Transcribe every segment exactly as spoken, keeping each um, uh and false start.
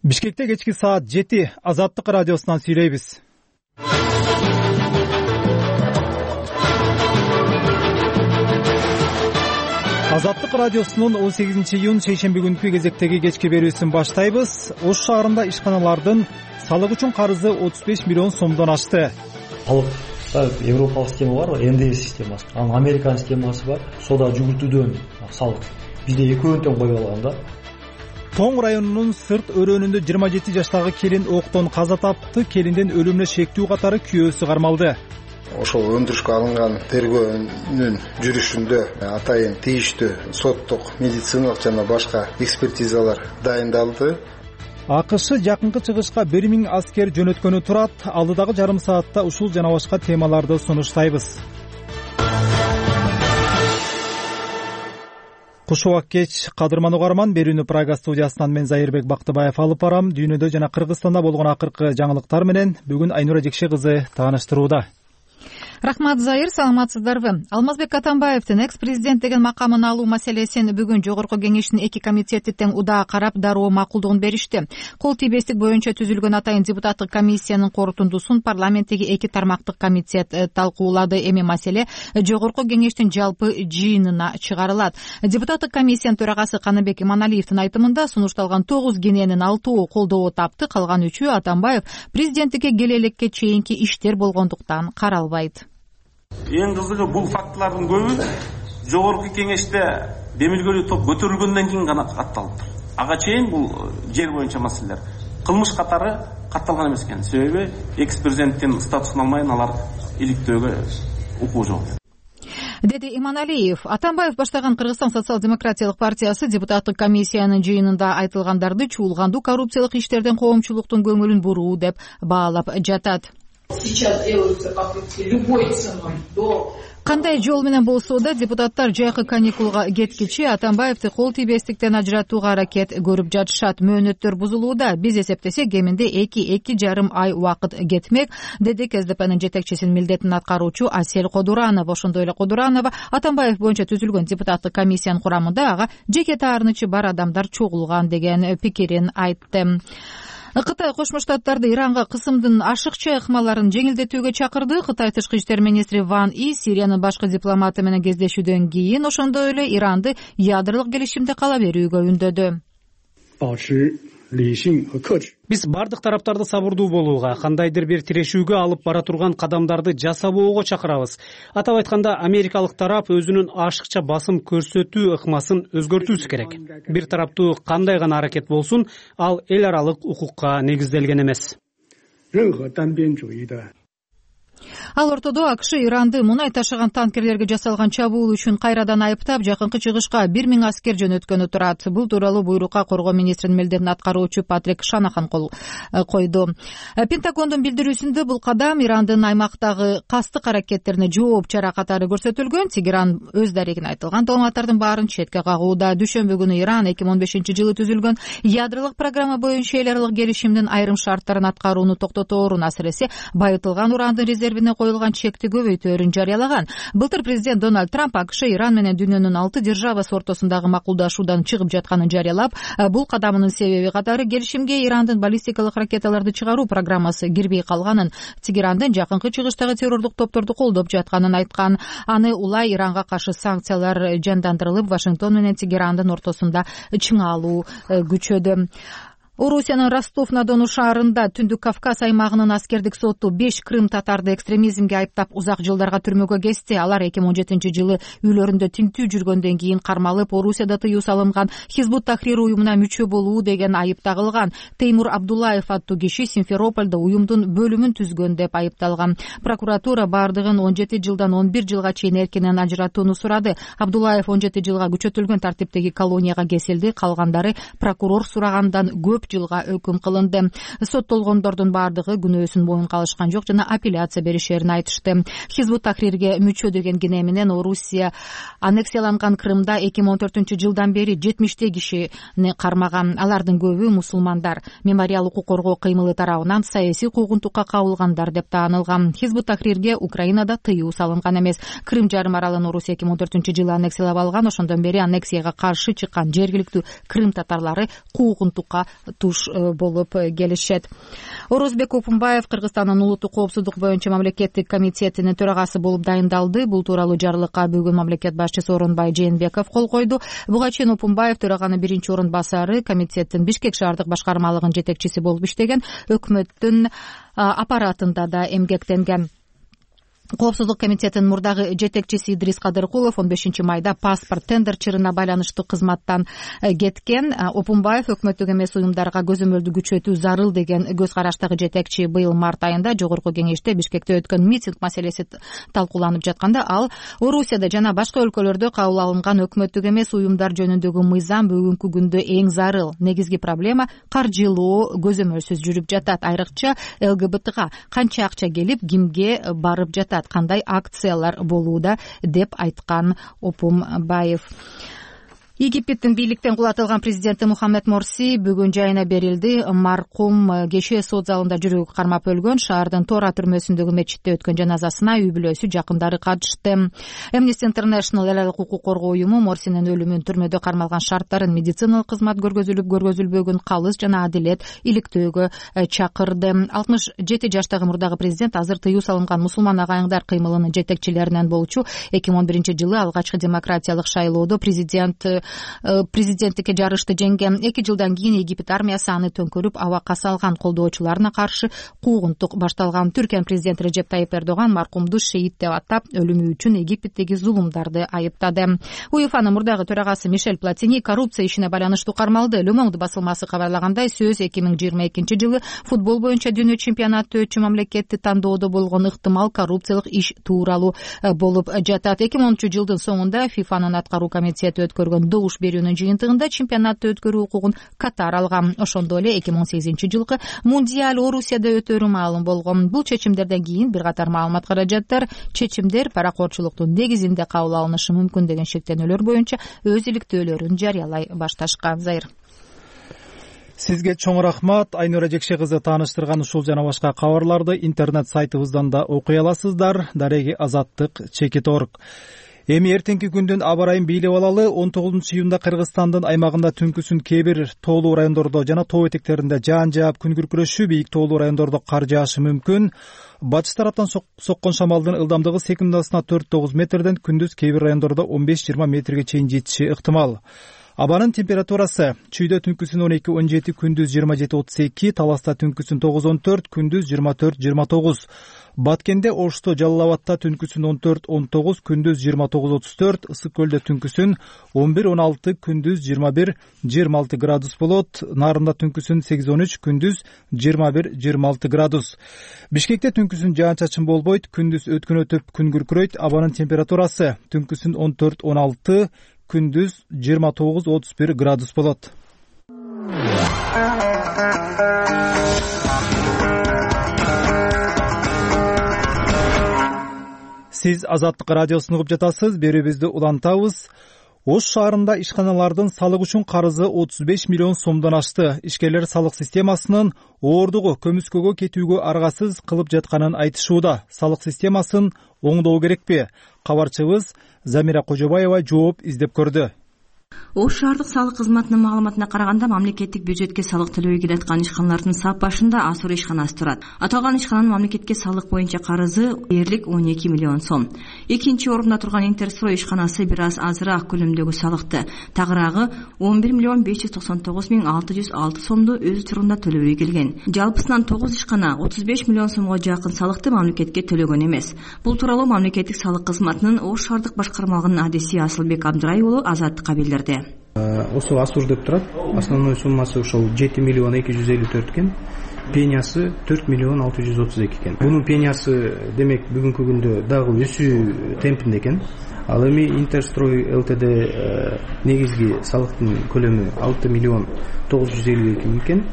Бишкекте кечки саат жети Азаттык радиосунан сүйлөйбүз. Азаттык радиосунун он сегизинчи июнь шейшемби күнкү кезектеги кечки берүүсүн баштайбыз. Ош шаарында ишканалардын салык үчүн карызы отуз беш миллион сомдон ашты. Салыкта европалык система бар, эн дэ эс системасы. Анын Американ системасы бар. Сода жүгүртүүдөн салык. Бизде экөөнү тең коюп алган да. Тоң районунун Сырт өрөөнүндө жыйырма жети жаштагы келин октон каза тапты. Келиндин өлүмүнө шектүү катары күйөөсү кармалды. Ошол өндүрүшкө алынган тергөөнүн жүрүшүндө атайын тийиштүү соттук, медициналык жана башка экспертизалар дайындалды. АКШ жакынкы чыгышка бир миң аскер жөнөткөнү турат. Алдыдагы жарым саатта ушул жана башка темаларды сунуштайбыз. Куш убак кеч, кадырман угарман. Берүүнү Прага студиясынан мен Зайырбек Бактыбаев алып барам. Дүйнөдө жана Кыргызстанда болгон акыркы жаңылыктар менен бүгүн Айнура Жекше кызы тааныштырууда. Рахмат, Зайыр, саламатсыздарбы? Алмазбек Атамбаевдин экс-президент деген макамын алуу маселесин бүгүн Жогорку кеңештин эки комитети тең удаа карап, дароо макулдугун беришти. Кол тийбестик боюнча түзүлгөн атайын депутаттык комиссиянын корутундусун парламенттеги эки тармактык комитет талкуулады. Эми маселе Жогорку кеңештин жалпы жыйынына чыгарылат. Депутаттык комиссиянын төрагасы Каныбек Иманалиевдин айтымында сунушталган тогуз кененин алтоо колдоо тапты, калган үчөө Атамбаев президенттикке келе элекке чейинки иштер болгондуктан каралбайт. Эң кызыгы бул фактылардын көбү Жогорку кеңеште демилгелүү топ көтөрүлгөндөн кийин гана катталып. Ага чейин бул жер боюнча маселелер кылмыш катары катталган эмес экен. Себеби экс-президенттин статусун алмайын алар иликтөөгө укугу жок. Деди Иманалиев. Атамбаев баштаган Кыргызстан социал-демократиялык партиясы депутаттык комиссиянын жыйынында айтылгандарды чуулгандуу коррупциялык иштерден коомчулуктун көңүлүн буруу деп баалап жатат. Сейчас делаются попытки любой ценой до Кандай жол менен болсо да депутаттар жайкы каникулга кеткичи Атамбаевди кол тийбестиктен ажыратууга аракет көрүп жатышат. Мөөнөттөр бузулууда. Биз эсептесек кеминде эки эки жарым ай убакыт кетмек, деди КСДПнын жетекчисинин милдетин аткаруучу Асель Кодуранова. Ошондой эле Кодуранова Атамбаев боюнча түзүлгөн депутаттык комиссиянын курамында ага жеке таарынычы бар адамдар чогулган деген пикирин айтты. Кытай Кошмо Штаттарды Иранга кысымдын ашыкча ыкмаларын жеңилдетүүгө чакырды. Кытай тышкы иштер министри Ван И Сириянын башкы дипломаты менен кездешүүдөн кийин ошондой эле Иранды ядролук келишимде кала берүүгө үндөдү. Биз бардык тараптарды сабырдуу болууга, кандайдыр бир тирешүүгө алып бара турган кадамдарды жасабоого чакырабыз. Атап айтканда, америкалык тарап өзүнүн ашыкча басым көрсөтүү ыкмасын өзгөртүүсү керек. Бир тараптуу кандай гана аракет болсун, ал эл аралык укукка негизделген эмес. Ал ортодо АКШ Иранды мунай ташыган танкерлерге жасалган чабуул үчүн кайрадан айыптап, жакынкы чыгышка бир миң аскер жөнөткөнү турат. Бул тууралуу буйрукка коргоо министринин милдетин аткаруучу Патрик Шанахан кол койду. Пентагондун билдирүүсүндө бул кадам Ирандын аймактагы кастык аракеттерине жооп чара катары көрсөтүлгөн. Тегеран өз дарегин айтылган дооматтардын баарын четке кагууда. Дүшөмбү күнү Иран эки миң он бешинчи жылы түзүлгөн ядролук программа боюнча эл аралык келишимдин айрым шарттарын аткарууну токтоторун, асыресе байытылган урандын резервине коюлган чекти көбөйтөөрүн жарыялаган. Былтыр президент Дональд Трамп АКШ Иран менен дүйнөнүн алты державасы ортосундагы макулдашуудан чыгып жатканын жарыялап, бул кадамынын себеби катары келишимге Ирандын баллистикалык ракеталарды чыгаруу программасы кирбей калганын, Тегерандын жакынкы чыгыштагы террордук топторду колдоп жатканын айткан. Аны улай Иранга каршы санкциялар жандандырылып, Вашингтон менен Тегерандын ортосунда чыңалуу күчөдү. Орусиянын Ростов-на-Дону шаарында Түндүк Кавказ аймагынын аскердик соту беш крым татарды экстремизмге айыптап узак жылдарга түрмөгө кести. Алар эки миң он жетинчи жылы үйлөрүндө тинтүү жүргөндөн кийин кармалып, Орусияда тыюу салынган Хизбут Тахрир уюмуна мүчө болуу деген айып тагылган. Теймур Абдуллаев аттуу киши Симферопольдо уюмдун бөлүмүн түзгөн деп айыпталган. Прокуратура бардыгын он жети жылдан он бир жылга чейин эркинен ажыратууну сурады. Абдуллаев он жети жылга күчөтүлгөн тартиптеги колонияга кесилди. Калгандары прокурор сурагандан көп жылга өкүм кылынды. Соттолгондордун бардыгы күнөөсүн моюнга алышкан жок жана апелляция беришерин айтышты. Хизбут Тахрирге мүчө деген кине менен Орусия аннексияланган Крымда эки миң он төртүнчү жылдан бери жетимиштей кишини кармаган. Алардын көбү мусулмандар. Мемориал укук коргоо кыймылы тарабынан саясий куугунтукка кабылгандар деп таанылган. Хизбут Тахрирге Украинада тыюу салынган эмес. Крым жарым аралын Орусия эки миң он төртүнчү жылы аннексиялап алган. Ошондон бери аннексияга каршы чыккан жергиликтүү Крым татарлары куугунтукка туш болуп келишет. Орозбек Опунбаев Кыргызстандын улуттук коопсуздук боюнча мамлекеттик комитетинин төрагасы болуп дайындалды. Бул тууралуу жарлыкка бүгүн мамлекет башчысы Орунбай Жээнбеков кол койду. Буга чейин Опунбаев төраганын биринчи орун басары, комитеттин Бишкек шаардык башкармалыгынын жетекчиси болуп иштеген, өкмөттүн аппаратында да эмгектенген. Коопсуздук комитетинин мурдагы жетекчиси Идрис Кадыркулов он бешинчи майда паспорт тендер чырына байланыштуу кызматтан кеткен. Опунбаев өкмөттүк эмес уюмдарга көзөмөлдү күчөтүү зарыл деген көз караштагы жетекчи быйыл март айында жогорку кеңеште Бишкекте өткөн митинг маселеси талкууланып жатканда ал Орусияда жана башка өлкөлөрдө кабыл алынган өкмөттүк эмес уюмдар жөнүндөгү мыйзам бүгүнкү күндө эң зарыл, негизги проблема каржылоо көзөмөлсүз жүрүп жатат. Айрыкча ЛГБТга канча акча келип, кимге барып жатат, кандай акциялар болууда деп айткан Опунбаев. Египеттин бийликтен кулатылган президенти Мухаммед Морси бүгүн жайына берилди. Маркум кеше сот залында жүрөгү кармап өлгөн, шаардын Тора түрмөсүндөгү мечитте өткөн жаназасына үй бүлөсү, жакындары катышты. Amnesty International эл алык укук коргоо уюму Морсинин өлүмүн, түрмөдө кармалган шарттарын, медициналык кызмат көргөзүлүп көргөзүлбөгөн, калыс жана адилет иликтөөгө чакырды. алтымыш жети жаштагы мурдагы президент азыр тыюу салынган мусулман агайыңдар кыймылынын жетекчилеринен болчу. эки миң он биринчи жылы алгачкы демократиялык шайлоодо президент президенттикке жарышты жеңген. Эки жылдан кийин Египет армиясы аны төңкөрүп, абакка салган. Колдоочуларына каршы куугунтук башталган. Түркиянын президенти Режеп Тайип Эрдоган маркумду шейит деп атап, өлүмү үчүн Египеттеги зулумдарды айыптады. УЕФАнын мурдагы төрагасы Мишель Платини коррупция ишине байланыштуу кармалды. Le Monde басылмасы кабарлагандай, сөз эки миң жыйырма экинчи жылы футбол боюнча дүйнө чемпионаты өтчү мамлекетти тандоодо болгон ыктымал коррупциялык иш тууралуу болуп жатат. эки миң онунчу жылдын соңунда ФИФАнын аткаруу комитети өткөргөн добуш берүүнүн жыйынтыгында чемпионатты өткөрүү укугун Катар алган. Ошондой эле эки миң он сегизинчи жылкы мундиаль Орусияда өтөрү маалым болгон. Бул чечимдерден кийин бир катар маалымат каражаттар, чечимдер паракорчулуктун негизинде кабыл алынышы мүмкүн деген шектенүүлөр боюнча өз иликтөөлөрүн жарыялай башташкан. Зайыр. Сизге чоң рахмат. Айнура Жекше кызы тааныштырган ушул жана башка кабарларды интернет сайтыбыздан да окуй аласыздар. Дареги азаттык чекит точка орг. Эми эртеңки күндүн аба ырайын бийлеп алалы. он тогузунчу июнда Кыргызстандын аймагында түнкүсүн кээ бир тоолуу райондордо жана тоо этектеринде жаан жаап, күн күркүрөшүү, бийик тоолуу райондордо кар жаашы мүмкүн. Батыш тараптан соккон шамалдын ылдамдыгы секундасына төрт тогуз метрден, күндүз кээ бир райондордо он беш жыйырма метрге чейин жетиши ыктымал. Абанын температурасы: Чүйдө түнкүсүн он эки он жети, күндүз жыйырма жети отуз эки, Таласта түнкүсүн тогуз он төрт, күндүз жыйырма төрт жыйырма тогуз. Баткенде, Ошто, Жалал Абадта түнкүсүн он төрт он тогуз, күндүз жыйырма тогуз отуз төрт, Ысык көлдө түнкүсүн он бир он алты, күндүз жыйырма бир жыйырма алты градус болот. Нарында түнкүсүн сегиз он үч, күндүз жыйырма бир жыйырма алты градус. Бишкекте түнкүсүн жаан-чачын болбойт, күндүз өткөн-өтүп күн күркүрөйт. Абанын температурасы: түнкүсүн он төрт он алты, күндүз жыйырма тогуз отуз бир градус болот. Сиз Азаттык радиосун угуп жатасыз. Берүүбүздү улантабыз. Ош шаарында ишканалардын салык үчүн карызы отуз беш миллион сомдон ашты. Ишкерлер салык системасынын оордугу көмүскөгө кетүүгө аргасыз кылып жатканын айтышууда. Салык системасын оңдоо керекпи? Кабарчыбыз Замира Кожобаева жооп издеп көрдү. Ош шаардык салык кызматынын маалыматына караганда, мамлекеттик бюджетке салык төлөбөй келаткан ишканалардын сап башында Асур ишканасы турат. Аталган ишкананын мамлекетке салык боюнча карызы дээрлик он эки миллион сом. Экинчи орунда турган Интерстрой ишканасы бир аз азыраак көлөмдөгү салыкты, тагыраагы он бир миллион беш жүз токсон тогуз миң алты жүз алты сомду өз учурунда төлөбөй келген. Жалпысынан тогуз ишкана отуз беш миллион сомго жакын салыкты мамлекетке төлөгөн эмес. Бул тууралуу мамлекеттик салык кызматынын Ош шаардык башкармалыгынын адиси Асылбек Абдырай уулу Азаттыкка билдирди. Осу Асур деп турат. Основной суммасы ошол жети миллион эки жүз элүү төрт экен. Пениясы төрт миллион алты жүз отуз эки экен. Бунун пениясы демек бүгүнкү күндө дагы өсүү темпинде экен. Ал эми Интерстрой ЛТД негизги салыктын көлөмү алты миллион тогуз жүз элүү эки миң экен.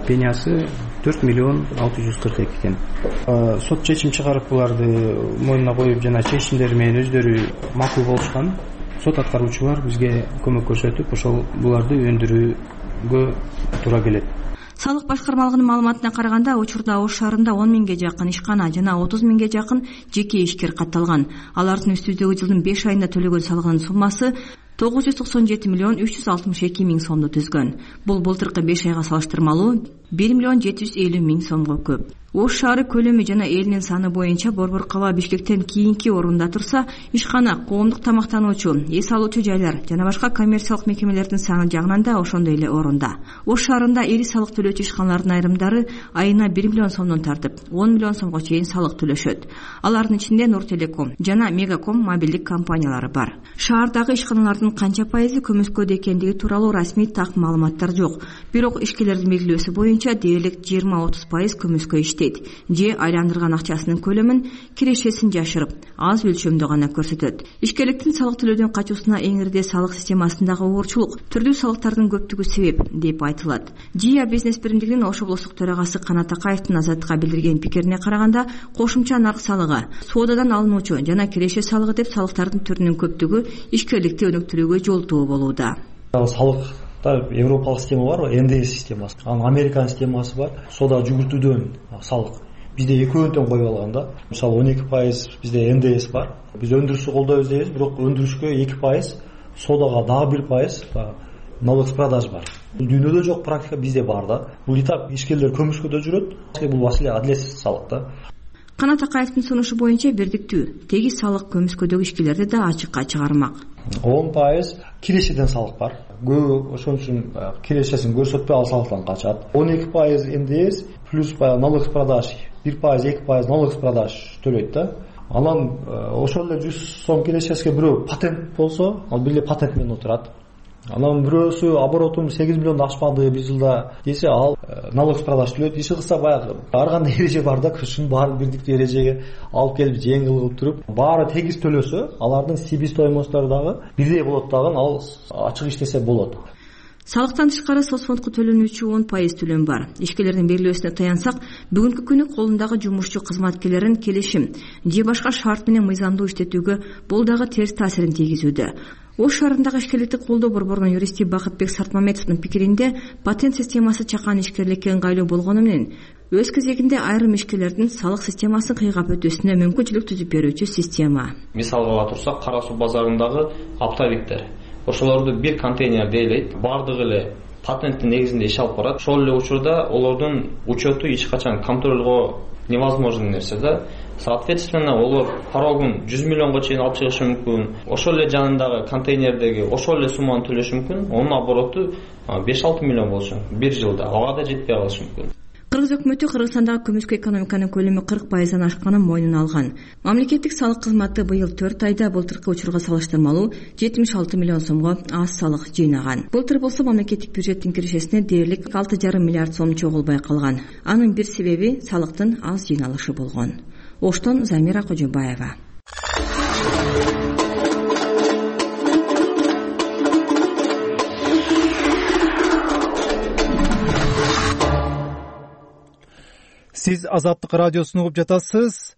Пениясы төрт миллион алты жүз кырк эки экен. Сот чечим чыгарып буларды мойнуна коюп жана чечимдери менен өздөрү макул болушкан. Сот аткаруучулар бизге көмөк көрсөтүп, ошол буларды өндүрүүгө туура келет. Салык башкармалыгынын маалыматына караганда, учурда Ош шаарында он миңге жакын ишкана жана отуз миңге жакын жеке ишкер катталган. Алардын үстүбүздөгү жылдын беш айында төлөгөн салыгынын суммасы тогуз жүз токсон жети миллион үч жүз алтымыш эки миң сомду түзгөн. Бул былтыркы беш айга салыштырмалуу бир миллион жети жүз элүү миң сомго көп. Ош шаары көлөмү жана элинин саны боюнча Борбор кала Бишкектен кийинки орунда турса, ишкана, коомдук тамактануучу, эс алуучу жайлар жана башка коммерциялык мекемелердин саны жагынан да ошондой эле орунда. Ош шаарында ири салык төлөөчү ишканалардын айрымдары айына бир миллион сомдон тартып, он миллион сомго чейин салык төлөшөт. Алардын ичинде Нуртелеком жана Мегаком мобилдик компаниялары бар. Шаардагы ишканалардын канча пайызы көмүскөдө экендиги тууралуу расмий так маалыматтар жок. Бирок ишкерлердин белгилөөсү боюнча дээрлик жыйырма отуз пайыз көмүскө иштейт же айландырган акчасынын көлөмүн, кирешесин жашырып, аз өлчөмдө гана көрсөтөт. Ишкерликтин салык төлөөдөн качуусуна эң ирде салык системасындагы оорчулук, түрдүү салыктардын көптүгү себеп деп айтылат. Жия бизнес биримдигинин Ош облустук төрагасы Канат Акаевдин Азаттыкка билдирген пикирине караганда, кошумча нарк салыгы, соодадан алынуучу жана киреше салыгы деп салыктардын түрүнүн көптүгү ишкерликти өнүктүрүүгө жолтоо болууда. Салык Европалык система бар, эн дэ эс системасы. Анын Американ системасы бар. Сода жүгүртүүдөн салык. Бизде экөөнү тең коюп алган да. Мисалы он эки пайыз бизде эн дэ эс бар. Биз өндүрүштү колдойбуз дейбиз, бирок өндүрүшкө эки пайыз, содага дагы бир пайыз налог с продаж бар. Бул дүйнөдө жок практика, бизде бар да. Бул и так ишкерлер көмүскөдө жүрөт. Бул маселе адилетсиз салык да. Канат Акаевдин сунушу боюнча бирдиктүү, тегиз салык көмүскөдөгү ишкерлерди да ачыкка чыгармак. он пайыз кирешеден салык бар. Көбү ошон үчүн кирешесин көрсөтпөй ал салыктан качат. он эки пайыз эн дэ эс плюс налог с продаж, бир пайыз эки пайыз налог с продаж төлөйт да. Анан ошол эле жүз сом кирешесине бирөө патент болсо, ал бир эле патент менен отурат. Анан бирөөсү оборотум сегиз миллионду ашпады бир жылда десе, ал налог с продаж төлөйт. Иши кылса баягы ар кандай эреже бар да, ушунун баарын бирдиктүү эрежеге алып келип жеңил кылып туруп, баары тегиз төлөсө, алардын себестоимосттору дагы бирдей болот дагы, ал ачык иштесе болот. Салыктан тышкары соцфондко төлөнүүчү он пайыз төлөм бар. Ишкерлердин белгилөөсүнө таянсак, бүгүнкү күнү колундагы жумушчу кызматкерлерин келишим же башка шарт менен мыйзамдуу иштетүүгө бул дагы терс таасирин тийгизүүдө. Ош шаарындагы ишкерликти колдоо борборунун юристи Бакытбек Сартмамедовдун пикиринде, патент системасы чакан ишкерликке ыңгайлуу болгону менен өз кезегинде айрым ишкерлердин салык системасын кыйгап өтүүсүнө мүмкүнчүлүк түзүп берүүчү система. Мисалга ала турсак, Кара суу базарындагы оптовиктер, ошолорду бир контейнерде ээлейт, баардыгы эле патенттин негизинде иш алып барат. Ошол эле учурда олордун учету эч качан контролго невозможный нерсе да. Соответственно, олар порогун жүз миллионго чейин алып чыгышы мүмкүн. Ошол эле жанындагы контейнердеги ошол эле сумманы төлөшү мүмкүн. Онун обороту беш алты миллион болушу мүмкүн бир жылда. Ага да жетпей калышы мүмкүн. Кыргыз өкмөтү Кыргызстандагы көмүскө экономиканын көлөмү кырк пайыздан ашканын мойнуна алган. Мамлекеттик салык кызматы быйыл төрт айда былтыркы учурга салыштырмалуу жетимиш алты миллион сомго аз салык жыйнаган. Былтыр болсо мамлекеттик бюджеттин кирешесине дээрлик алты жарым миллиард сом чогулбай калган. Анын бир себеби салыктын аз жыйналышы болгон. Оштон Замира Кожобаева. Сиз Азаттык радиосун угуп жатасыз.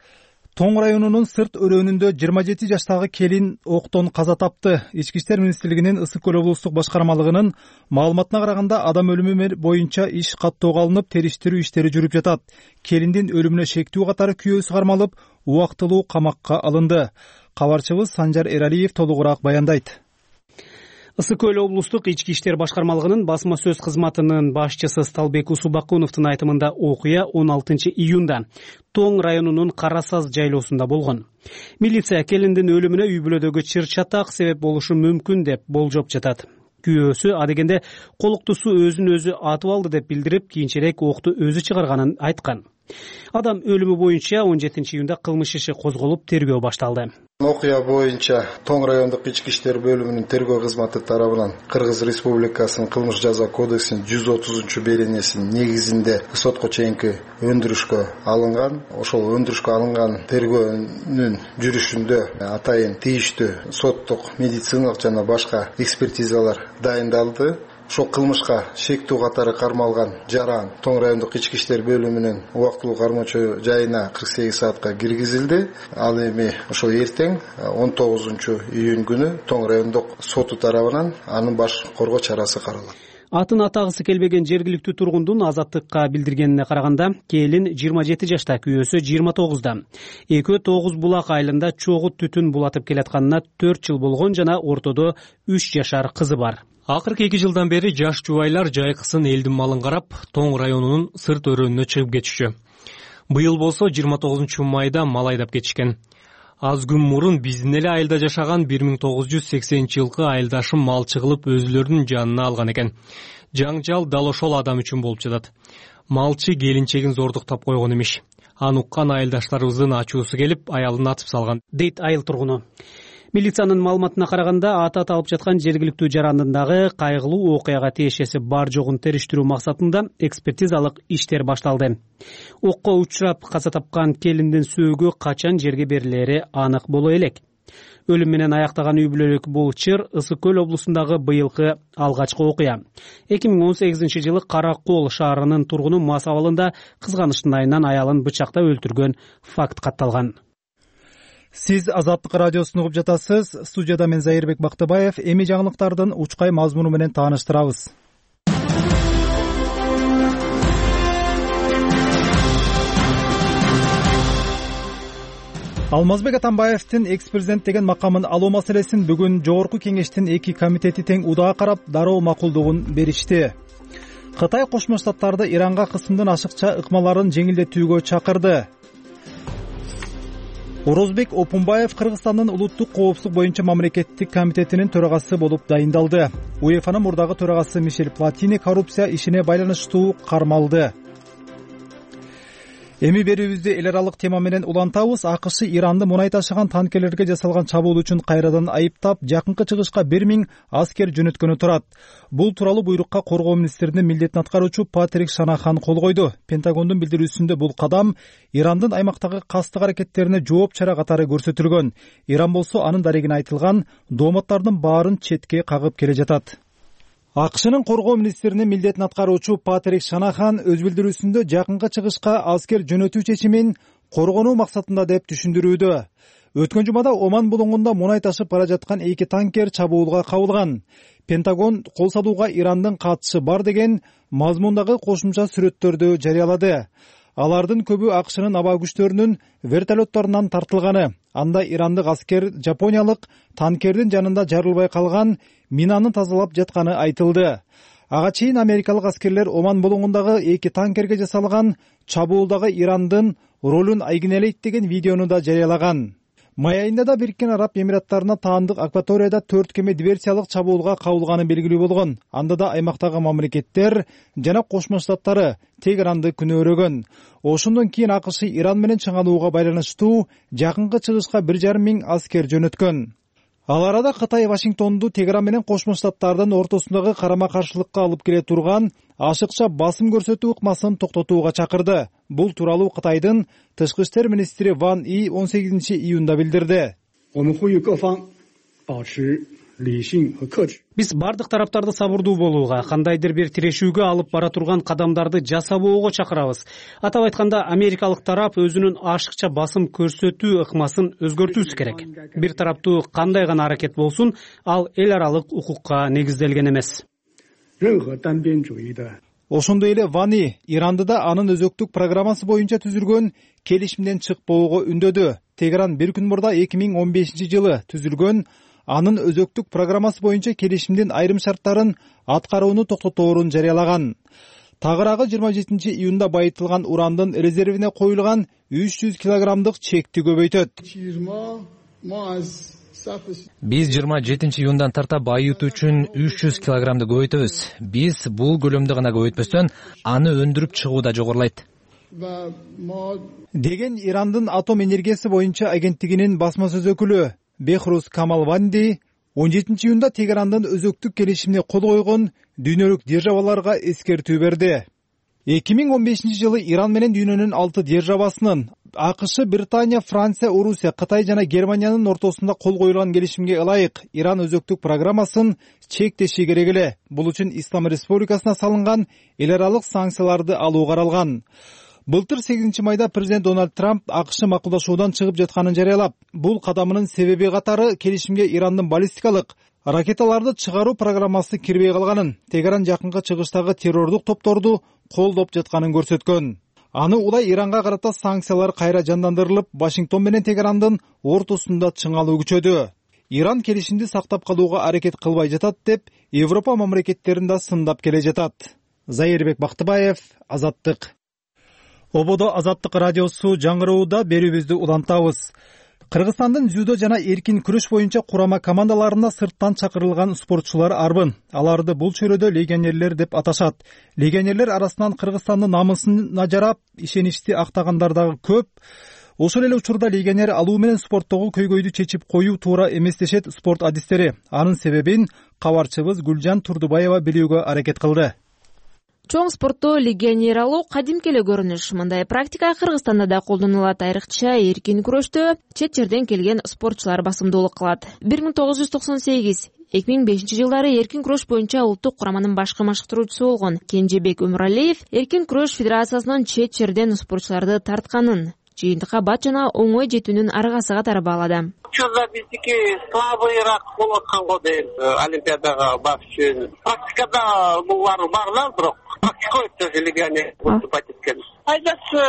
Тоң районунун Сырт өрөөнүндө жыйырма жети жаштагы келин октон каза тапты. Ички иштер министрлигинин Ысык көл облустук башкармалыгынын маалыматына караганда, адам өлүмү боюнча иш каттоого алынып, териштирүү иштери жүрүп жатат. Келиндин өлүмүнө шектүү катары күйөөсү кармалып, убактылуу камакка алынды. Кабарчыбыз Санжар Эралиев толугураак баяндайт. Ысык көл облустук ички иштер башкармалыгынын басма сөз кызматынын башчысы Сталбек Усубакуновдун айтымында окуя он алтынчы июнда Тоң районунун Карасаз жайлоосунда болгон. Милиция келиндин өлүмүнө үй бүлөдөгү чыр чатак себеп болушу мүмкүн деп болжоп жатат. Күйөөсү адегенде колуктусу өзүн өзү атып алды деп билдирип, кийинчерээк окту өзү чыгарганын айткан. Адам өлүмү боюнча он жетинчи июнда кылмыш иши козголуп, тергөө башталды. Окуя боюнча Тоң райондук ички иштер бөлүмүнүн тергөө кызматы тарабынан Кыргыз Республикасынын кылмыш жаза кодексинин жүз отузунчу беренесинин негизинде сотко чейинки өндүрүшкө алынган. Ошол өндүрүшкө алынган тергөөнүн жүрүшүндө атайын тийиштүү соттук, медициналык жана башка экспертизалар дайындалды. Ошол кылмышка шектүү катары кармалган жаран Тоң райондук ички иштер бөлүмүнүн убактылуу кармоочу жайына кырк сегиз саатка киргизилди. Ал эми ошол эртең он тогузунчу июнь күнү Тоң райондук соту тарабынан анын баш коргоо чарасы каралат. Атын атагысы келбеген жергиликтүү тургундун Азаттыкка билдиргенине караганда, келин жыйырма жети жашта, күйөөсү жыйырма тогузда. Экөө Тогуз Булак айылында чогуу түтүн булатып келатканына төрт жыл болгон жана ортодо үч жашар кызы бар. Акыркы эки жылдан бери жаш жубайлар жайкысын элдин малын карап, Тоң районунун сырт өрөөнүнө чыгып кетишчү. Быйыл болсо жыйырма тогузунчу майда мал айдап кетишкен. Аз күн мурун биздин эле айылда жашаган бир миң тогуз жүз сексенинчи жылкы айылдашым малчы кылып өзүлөрүнүн жанына алган экен. Жаңжал дал ошол адам үчүн болуп жатат. Малчы келинчегин зордуктап койгон имиш. Аны уккан айылдаштарыбыздын ачуусу келип, аялын атып салган, дейт айыл тургуну. Милициянын маалыматына караганда, аты аталып жаткан жергиликтүү жарандындагы кайгылуу окуяга тиешеси бар жогун териштирүү максатында экспертизалык иштер башталды. Окко учурап каза тапкан келиндин сөөгү качан жерге берилери анык боло элек. Өлүм менен аяктаган үй бүлөлүк бул чыр Ысык Көл облусундагы быйылкы алгачкы окуя. эки миң он сегизинчи жылы Кара Кол шаарынын тургуну мас абалында кызганычтын айынан аялын бычактап өлтүргөн факт катталган. Сиз Азаттык радиосун угуп жатасыз. Студияда мен Зайырбек Бактыбаев. Эми жаңылыктардын учкай мазмуну менен тааныштырабыз. Алмазбек Атамбаевдин экс-президент деген макамын алуу маселесин бүгүн Жогорку Кеңештин эки комитети тең удаа карап, дароо макулдугун беришти. Кытай Кошмо Штаттарды Иранга кысымдын ашыкча ыкмаларын жеңилдетүүгө чакырды. Орозбек Опунбаев Кыргызстандын улуттук коопсуздук боюнча мамлекеттик комитетинин төрагасы болуп дайындалды. УЕФАнын мурдагы төрагасы Мишель Платини коррупция ишине байланыштуу кармалды. Эми берүүбүздү эл аралык тема менен улантабыз. АКШ Иранды мунай ташыган танкерлерге жасалган чабуул үчүн кайрадан айыптап, жакынкы чыгышка бир миң аскер жөнөткөнү турат. Бул тууралуу буйрукка коргоо министринин милдетин аткаруучу Патрик Шанахан кол койду. Пентагондун билдирүүсүндө бул кадам Ирандын аймактагы кастык аракеттерине жооп чара катары көрсөтүлгөн. Иран болсо анын дарегине айтылган дооматтардын баарын четке кагып келе жатат. АКШнын коргоо министринин милдетин аткаруучу Патрик Шанахан өз билдирүүсүндө жакынкы чыгышка аскер жөнөтүү чечимин коргонуу максатында деп түшүндүрүүдө. Өткөн жумада Оман булуңунда мунай ташып бара жаткан эки танкер чабуулга кабылган. Пентагон кол салууга Ирандын катышы бар деген мазмундагы кошумча сүрөттөрдү жарыялады. Алардын көбү АКШнын аба күчтөрүнүн вертолетторунан тартылганы. Анда ирандык аскер жапониялык танкердин жанында жарылбай калган минаны тазалап жатканы айтылды. Ага чейин америкалык аскерлер Оман булуңундагы эки танкерге жасалган чабуулдагы Ирандын ролун айгинелейт деген видеону да жарыялаган. Май айында да Бириккен Араб Эмираттарына таандык акваторияда төрт кеме диверсиялык чабуулга кабылганы белгилүү болгон. Анда да аймактагы мамлекеттер жана Кошмо Штаттары Тегеранды күнөөрөгөн. Ошондон кийин АКШ Иран менен чыңалууга байланыштуу жакынкы чыгышка бир жарым миң аскер жөнөткөн. Ал арада Кытай Вашингтонду Тегеран менен Кошмо Штаттардын ортосундагы карама каршылыкка алып келе турган ашыкча басым көрсөтүү ыкмасын токтотууга чакырды. Бул тууралуу Кытайдын тышкы иштер министри Ван И он сегизинчи июнда билдирди. Биз бардык тараптарды сабырдуу болууга, кандайдыр бир тирешүүгө алып бара турган кадамдарды жасабоого чакырабыз. Атап айтканда, америкалык тарап өзүнүн ашыкча басым көрсөтүү ыкмасын өзгөртүүсү керек. Бир тараптуу кандай гана аракет болсун, ал эл аралык укукка негизделген эмес. Ошондой эле Вани Иранды да анын өзөктүк программасы боюнча түзүлгөн келишимден чыкпоого үндөдү. Тегеран бир күн мурда эки миң он бешинчи жылы түзүлгөн анын өзөктүк программасы боюнча келишимдин айрым шарттарын аткарууну токтоторун жарыялаган. Тагыраагы жыйырма жетинчи июнда байытылган урандын резервине коюлган үч жүз килограммдык чекти көбөйтөт. Биз жыйырма жетинчи июндан тарта байытуу үчүн үч жүз килограммды көбөйтөбүз. Биз бул көлөмдү гана көбөйтпөстөн, аны өндүрүп чыгуу да жогорулайт. Деген Ирандын атом энергиясы боюнча агенттигинин басма сөз өкүлү Бехрус Камалванди он жетинчи июнда Тегерандын өзөктүк келишимине кол койгон дүйнөлүк державаларга эскертүү берди. эки миң он бешинчи жылы Иран менен дүйнөнүн алты державасынын АКШ, Британия, Франция, Орусия, Кытай жана Германиянын ортосунда кол коюлган келишимге ылайык Иран өзөктүк программасын чектеши керек эле. Бул үчүн Ислам Республикасына салынган эл аралык санкцияларды алуу каралган. Былтыр сегизинчи майда президент Дональд Трамп АКШ макулдашуудан чыгып жатканын жарыялап, бул кадамынын себеби катары келишимге Ирандын баллистикалык ракеталарды чыгаруу программасы кирбей калганын, Тегеран жакынкы чыгыштагы террордук топторду колдоп жатканын көрсөткөн. Аны улай Иранга карата санкциялар кайра жандандырылып, Вашингтон менен Тегерандын ортосунда чыңалуу күчөдү. Иран келишимди сактап калууга аракет кылбай жатат деп, Европа мамлекеттерин да сындап келе жатат. Зайырбек Бактыбаев, Азаттык. Ободо Азаттык радиосу жаңырууда берүүбүздү улантабыз. Кыргызстандын дзюдо жана эркин күрөш боюнча курама командаларына сырттан чакырылган спортчулар арбын. Аларды бул чөйрөдө легионерлер деп аташат. Легионерлер арасынан Кыргызстандын намысына жарап, ишеничти актагандар дагы көп. Ошол эле учурда легионер алуу менен спорттогу көйгөйдү чечип коюу туура эмес дешет спорт адистери. Анын себебин кабарчыбыз Гүлжан Турдубаева билүүгө аракет кылды. Чоң спортто легионер алуу кадимки эле көрүнүш. Мындай практика Кыргызстанда да колдонулат. Айрыкча эркин күрөштө чет жерден келген спортчулар басымдуулук кылат. бир миң тогуз жүз токсон сегиз эки миң бешинчи жылдары эркин күрөш боюнча улуттук кураманын башкы машыктыруучусу болгон Кенжебек Өмүралиев эркин күрөш федерациясынын чет жерден спортчуларды тартканын, жыйынтыкка бат жана оңой жетүүнүн аргасы катары баалады. Учурда биздики слабыйраак болуп аткан го дейм, олимпиадага барыш үчүн. Практикада булар бар, бирок практика өтө легионер выступать эткен. Пайдасы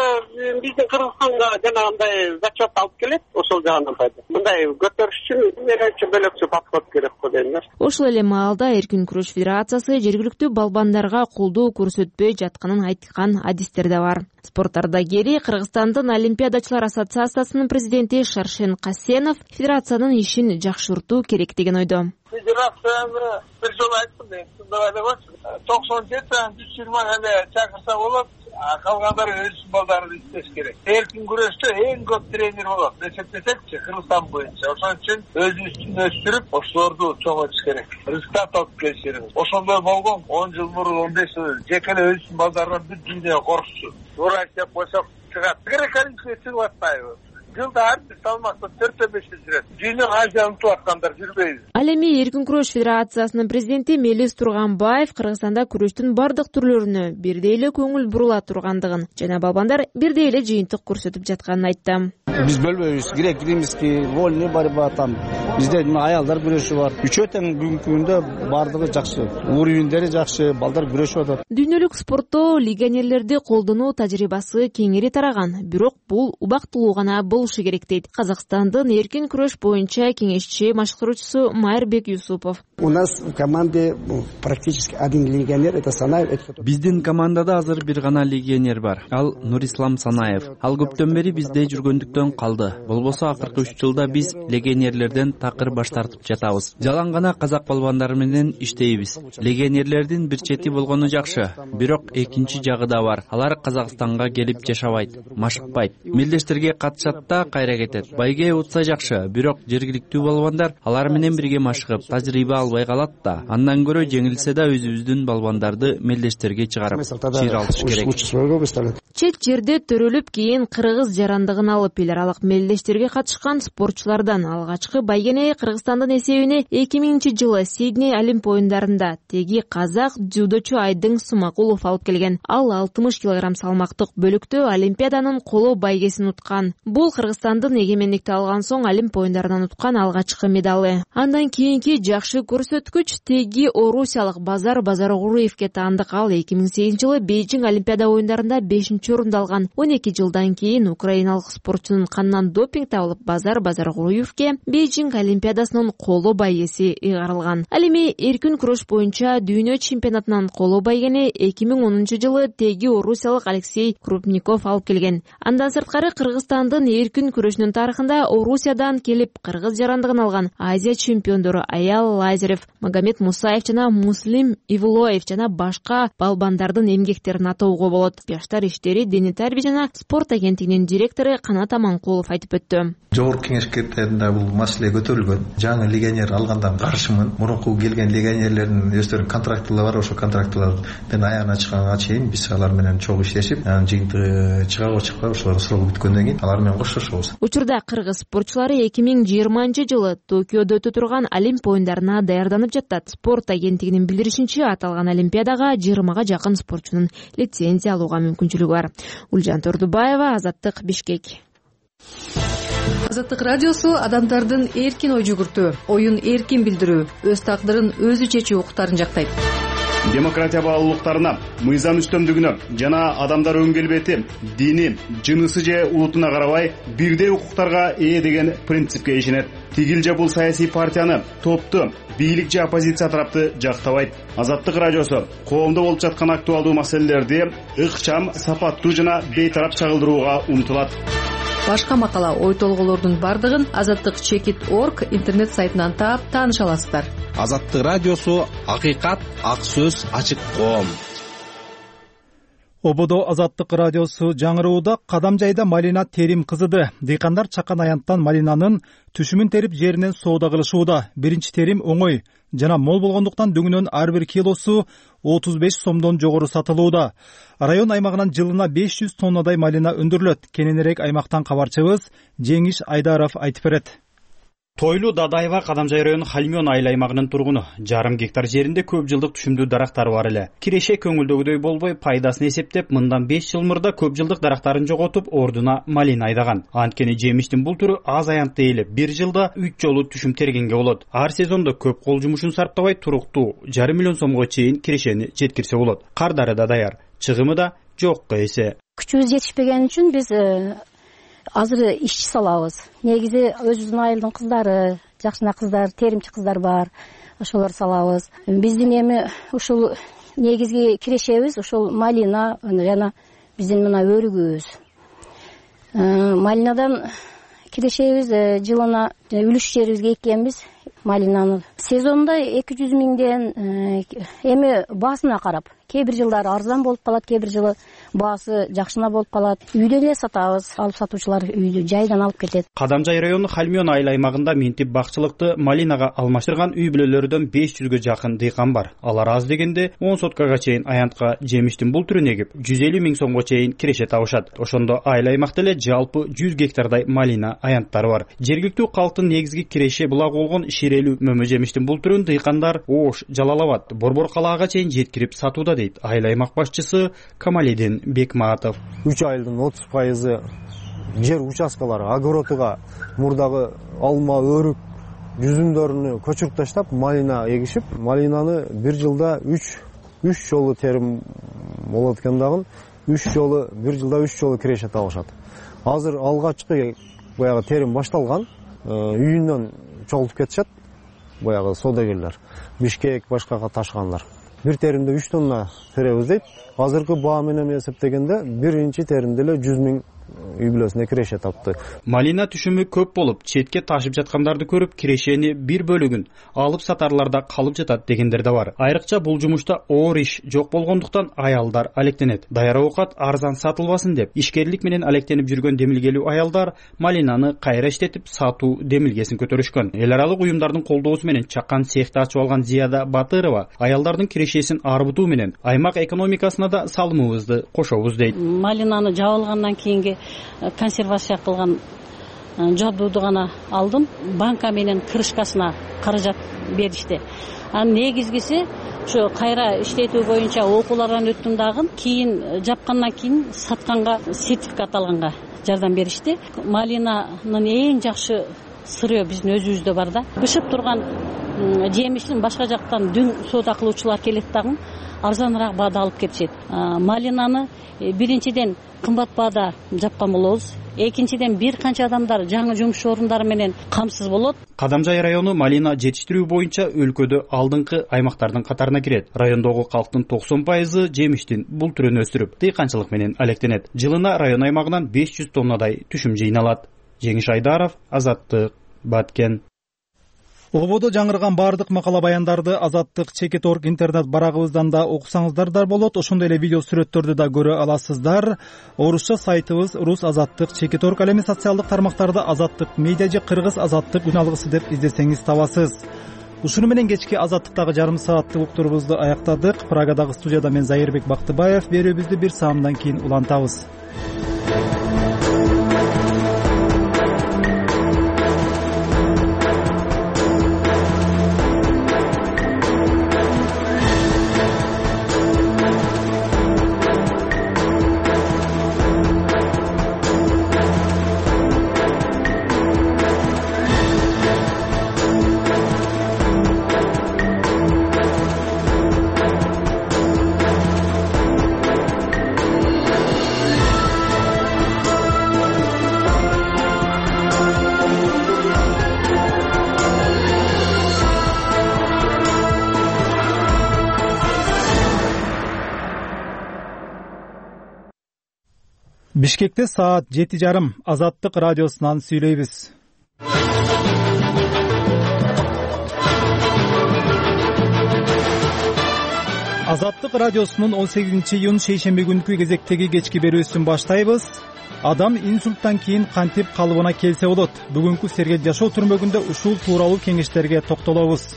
биздин Кыргызстанга жанагындай зачет алып келет, ошол жагынан пайда. Мындай көтөрүш үчүн менимче бөлөкчө подход керек го дейм. Ошол эле маалда эркин күрөш федерациясы жергиликтүү балбандарга колдоо көрсөтпөй жатканын айткан адистер да бар. Спорт ардагери Кыргызстандын Олимпиадачылар ассоциациясынын президенти Шаршен Касенов федерациянын ишин жакшыртуу керек деген ойдо. Федерацияны бир жолу айттым, тыңдабай деп атчы. токсон жети жүз жыйырма эле чакырса болот. Калгандары өз балдарын иштеш керек. Эркин күрөштө эң көп тренер болот. Эсептесекчи Кыргызстан боюнча. Ошон үчүн өзүбүздүн өстүрүп, ошолорду чоңойтуш керек. Результат алып келиш керек. Ошондой болгон он жыл мурун, он беш жыл жеке эле өзүнүн балдарынан бүт дүйнөгө коркчу. Туура деп койсок чыгат. Грек-олимпия чыгып атпайбы? Жылда ар бир салмакта төртө беште жүрөт. Дүйнө Азия унутуп аткандар жүрбөйбү. Ал эми эркин күрөш федерациясынын президенти Мелис Турганбаев Кыргызстанда күрөштүн бардык түрлөрүнө бирдей эле көңүл бурула тургандыгын жана балбандар бирдей эле жыйынтык көрсөтүп жатканын айтты. Биз бөлбөйбүз. Грек, римский, вольный борьба там. Бизде аялдар күрөшү бар. Үчөө тең бүгүнкү күндө бардыгы жакшы. Уровендери жакшы, балдар күрөшүп атат. Дүйнөлүк спортто легионерлерди колдонуу тажрыйбасы кеңири тараган, бирок бул убактылуу гана болушу керек дейт Казакстандын эркин күрөш боюнча кеңешчи машыктыруучусу Майырбек Юсупов. У нас в команде практически один легионер, это Санаев. Биздин командада азыр бир гана легионер бар. Ал Нурислам Санаев. Ал көптөн бери бизде жүргөндүктөн калды. Болбосо акыркы үч жылда биз легионерлерден такыр баш тартып жатабыз. Жалаң гана казак балбандар менен иштейбиз. Легионерлердин бир чети болгону жакшы, бирок экинчи жагы да бар. Алар Казакстанга келип жашабайт, машыкпайт. Мелдештерге катышат да кайра кетет. Байге утса жакшы, бирок жергиликтүү балбандар алар менен бирге машыгып, тажрыйба албай калат да. Андан көрө жеңилсе да өзүбүздүн балбандарды мелдештерге чыгарып, чыйралтыш керек. Чет жерде төрөлүп кийин кыргыз жарандыгын алып эл аралык мелдештерге катышкан спортчулардан алгачкы байгене Кыргызстандын эсебине эки миңинчи жылы Сидней Олимп оюндарында теги казак дзюдочу Айдың Сумакулов алып келген. Ал алтымыш килограмм салмактык бөлүктө Олимпиаданын коло байгесин уткан. Бул Кыргызстандын эгемендикти алган соң Олимп оюндарынан уткан алгачкы медалы. Андан кийинки жакшы көрсөткүч теги орусиялык Базар Базаргулуевке таандык. Ал эки миң сегизинчи жылы Бейжиң Олимпиада оюндарында бешинчи орунду алган. он эки жылдан кийин украиналык спортчунун канынан допинг табылып, Базар Базаргулуевке Бейжиң Олимпиадасынын коло байгеси ыйгарылган. Ал эми эркин күрөш боюнча дүйнө чемпионатынан коло байгени эки миң онунчу жылы теги орусиялык Алексей Крупников алып келген. Андан сырткары Кыргызстандын эркин күрөшүнүн тарыхында Орусиядан келип кыргыз жарандыгын алган Азия чемпиондору Аял Лазарев, Магомед Мусаев жана Муслим Ивлоев жана башка балбандардын эмгектерин атоого болот. Жаштар иштери, дене тарбия жана спорт агенттигинин директору Канат Аманкулов айтып өттү. Жогорку кеңештеринде бул маселе көтөрүлгөн. Жаңы легионер алгандан каршымын. Мурунку келген легионерлердин өздөрүнүн контрактылары бар. Ошол контрактылардын аягына чыкканга чейин биз алар менен чогуу иштешип, анан жыйынтыгы чыгабы чыкпайбы ошолор срогу бүткөндөн кийин алар менен коштошобуз. Учурда кыргыз спортчулары эки миң жыйырманчы жылы Токиодо өтө турган Олимп оюндарына даярданып жатат. Спорт агенттигинин билдиришинче, аталган олимпиадага жыйырмага жакын спортчунун лицензия алууга мүмкүнчүлүгү бар. Гүлжан Турдубаева, Азаттык, Бишкек. Азаттык радиосу адамдардын эркин ой жүгүртүү, оюн эркин билдирүү, өз тагдырын өзү чечүү укуктарын жактайт. Демократия баалуулуктарына, мыйзам үстөмдүгүнө жана адамдар өн келбети, дини, жынысы же улутуна карабай бирдей укуктарга ээ деген принципке ишенет. Тигил же бул саясий партияны, топту, бийлик же оппозиция тарапты жактабайт. Азаттык радиосу коомдо болуп жаткан актуалдуу маселелерди ыкчам, сапаттуу жана бейтарап чагылдырууга умтулат. Башка макала, ой толгоолордун бардыгын азаттык чекит точка орг интернет сайтынан таап тааныша аласыздар. Азаттык радиосу акыйкат, ак сөз, ачык коом. Ободо Азаттык радиосу жаңырууда кадам жайда малина терим кызыды. Дыйкандар чакан аянттан малинанын түшүмүн терип жеринен соода кылышууда. Биринчи терим оңой жана мол болгондуктан дүңүнөн ар бир килосу отуз беш сомдон жогору сатылууда. Район аймагынан жылына беш жүз тоннадай малина өндүрүлөт. Кененирээк аймактан кабарчыбыз Жеңиш Айдаров айтып берет. Тойлуу Дадаева Кадамжай району Хальмён айыл аймагынын тургуну. Жарым гектар жеринде көп жылдык түшүмдүү дарактары бар эле. Киреше көңүлдөгүдөй болбой, пайдасын эсептеп, мындан беш жыл мурда көп жылдык дарактарын жоготуп, ордуна малина айдаган. Анткени жемиштин бул түрү аз аянтты ээлеп, бир жылда үч жолу түшүм тергенге болот. Ар сезондо көп кол жумушун сарптабай туруктуу жарым миллион сомго чейин кирешени жеткирсе болот. Кардары да даяр, чыгымы да жокко эсе. Күчүбүз жетишпеген үчүн биз азыр ишчи салабыз. Негизи өзүбүздүн айылдын кыздары, жакшына кыздар, теримчи кыздар бар. Ошолор салабыз. Биздин эми ушул негизги кирешебиз ушул малина жана биздин мына өрүгүбүз. Малинадан кирешебиз жылына үлүш жерибизге эккенбиз малинаны. Сезонда эки жүз миңден, эми баасына карап. Кээ бир жылдары арзан болуп калат, кээ бир жылы баасы жакшына болуп калат. Үйдөн эле сатабыз, алып сатуучулар үйдү жайдан алып кетет. Кадамжай району Хальмён айыл аймагында минтип бакчылыкты малинага алмаштырган үй бүлөлөрдөн беш жүзгө жакын дыйкан бар. Алар аз дегенде он соткага чейин аянтка жемиштин бул түрүн эгип, жүз элүү миң сомго чейин киреше табышат. Ошондо айыл аймакта эле жалпы жүз гектардай малина аянттары бар. Жергиликтүү калктын негизги киреше булагы болгон ширелүү мөмө жемиштин бул түрүн дыйкандар Ош, Жалал Абад, Борбор калаага чейин жеткирип сатууда дейт айыл аймак башчысы Камалидин Бекматов. Үч айылдын отуз пайызы жер участкалары огородуга мурдагы алма, өрүк жүзүмдөрүнү көчүрүп таштап, малина эгишип, малинаны бир жылда үч үч жолу терим болот экен дагы, үч жолу бир жылда үч жолу киреше табышат. Азыр алгачкы баягы терим башталган, үйүнөн чогултуп кетишет баягы соодагерлер, Бишкек башкага ташыгандар. Бир теримде үч тонна теребиз дейт. Азыркы баа менен эсептегенде биринчи теримде эле жүз миң үй бүлөсүнө киреше тапты. Малина түшүмү көп болуп, четке ташып жаткандарды көрүп, кирешени бир бөлүгүн алып сатарларда калып жатат дегендер да бар. Айрыкча бул жумушта оор иш жок болгондуктан аялдар алектенет. Даяр оокат арзан сатылбасын деп, ишкерлик менен алектенип жүргөн демилгелүү аялдар малинаны кайра иштетип сатуу демилгесин көтөрүшкөн. Эл аралык уюмдардын колдоосу менен чакан цехти ачып алган Зияда Батырова аялдардын кирешесин арбытуу менен аймак экономикасына да салымыбызды кошобуз дейт. Малинаны жабылгандан кийинги консервация кылган жабдууду гана алдым. Банка менен крышкасына каражат беришти. Анын негизгиси ошо кайра иштетүү боюнча окуулардан өттүм дагы, кийин жапкандан кийин сатканга сертификат алганга жардам беришти. Малинанын эң жакшы сыры биздин өзүбүздө бар да. Бышып турган жемиштин башка жактан дүң соода кылуучулар келет дагы, арзаныраак баада алып кетишет. Малинаны биринчиден кымбат баада жапкан болобуз. Экинчиден бир канча адамдар жаңы жумуш орундары менен камсыз болот. Кадамжай району малина жетиштирүү боюнча өлкөдө алдыңкы аймактардын катарына кирет. Райондогу калктын токсон пайызы жемиштин бул түрүн өстүрүп, дыйканчылык менен алектенет. Жылына район аймагынан беш жүз тоннадай түшүм жыйналат. Жеңиш Айдаров, Азаттык, Баткен. Ободо жаңырган бардык макала баяндарды Азаттык чекит точка орг интернет барагыбыздан да окусаңыздар да болот. Ошондой эле видео сүрөттөрдү да көрө аласыздар. Орусча сайтыбыз рус азаттык чекит точка орг, ал эми социалдык тармактарда Азаттык медиа же кыргыз азаттык үн алгысы деп издесеңиз табасыз. Ушуну менен кечки Азаттыктагы жарым сааттык уктурубузду аяктадык. Прагадагы студияда мен Зайырбек Бактыбаев. Берүүбүздү бир саамдан кийин улантабыз. Бишкекте саат жети жарым. Азаттык радиосунан сүйлөйбүз. Азаттык радиосунун он сегизинчи июнь шейшемби күнкү кезектеги кечки берүүсүн баштайбыз. Адам инсульттан кийин кантип калыбына келсе болот? Бүгүнкү сергек жашоо түрмөгүндө ушул тууралуу кеңештерге токтолобуз.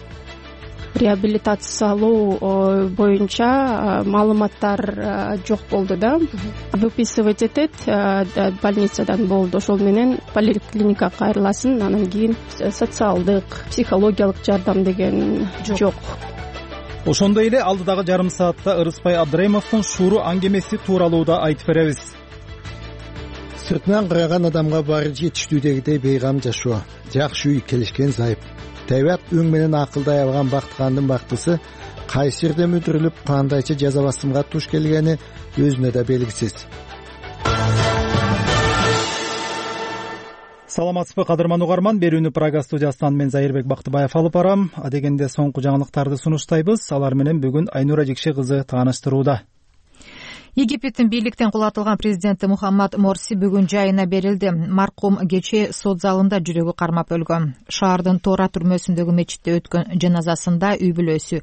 Реабилитациялоо боюнча маалыматтар жок болду да. Выписывать этет больницадан болду. Ошол менен поликлиникага кайрыласың, анан кийин социалдык, психологиялык жардам деген жок. Ошондой эле алдыдагы жарым саатта Ырыспай Абдыраимовдун шууру аңгемеси тууралуу да айтып беребиз. Сыртынан караган адамга баары жетиштүүдөгүдөй бейгам жашоо, жакшы үй, келишкен зайып. Тайвак өң менен акылдай алган бактыгандын бактысы кайсы жерде мүдүрүлүп, кандайча жаза басымга туш келгени өзүнө да белгисиз. Саламатсызбы кадырман угарман, берүүнү Прага студиясынан мен Зайырбек Бактыбаев алып барам. Адегенде соңку жаңылыктарды сунуштайбыз. Алар менен бүгүн Айнура Жекше кызы тааныштырууда. Египеттин бийликтен кулатылган президенти Мухаммад Морси бүгүн жайына берилди. Маркум кечээ сот залында жүрөгү кармап өлгөн. Шаардын Тора түрмөсүндөгү мечитте өткөн жаназасында үй бүлөсү,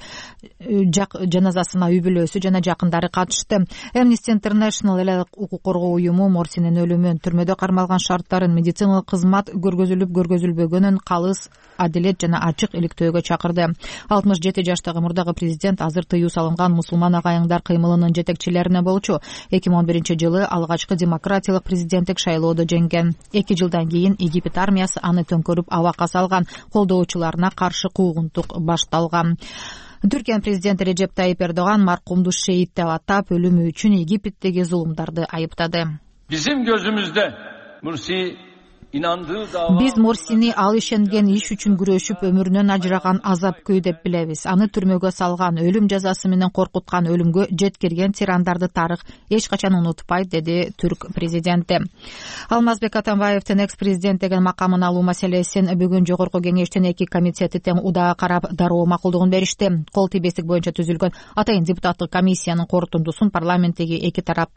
жаназасына үй бүлөсү жана жакындары катышты. Amnesty International эле укук коргоо уюму Морсинин өлүмүн, түрмөдө кармалган шарттарын, медициналык кызмат көргөзүлүп көргөзүлбөгөнүн калыс, адилет жана ачык иликтөөгө чакырды. алтымыш жети жаштагы мурдагы президент азыр тыюу салынган мусулман агайыңдар кыймылынын жетекчилерине болчу. эки миң он биринчи жылы алгачкы демократиялык президенттик шайлоодо жеңген. эки жылдан кийин Египет армиясы аны төңкөрүп абакка салган, колдоочуларына каршы куугунтук башталган. Түркиянын президенти Режеп Тайип Эрдоган маркумду шейит деп атап, өлүмү үчүн Египеттеги зулумдарды айыптады. Bizim gözümüzde Mursi Биз Морсини ал ишенген иш үчүн күрөшүп өмүрүнөн ажыраган азап-күй деп билебиз. Аны түрмөгө салган, өлүм жазасы менен коркуткан, өлүмгө жеткирген тирандарды тарых эч качан унутпайт, деди түрк президенти. Алмазбек Атамбаевдин экс-президент деген макамын алуу маселесин бүгүн жогорку кеңештин эки комитети тең удаа карап дароо макулдугун беришти. Кол тийбестик боюнча түзүлгөн атайын депутаттык комиссиянын корутундусун парламенттеги эки тарап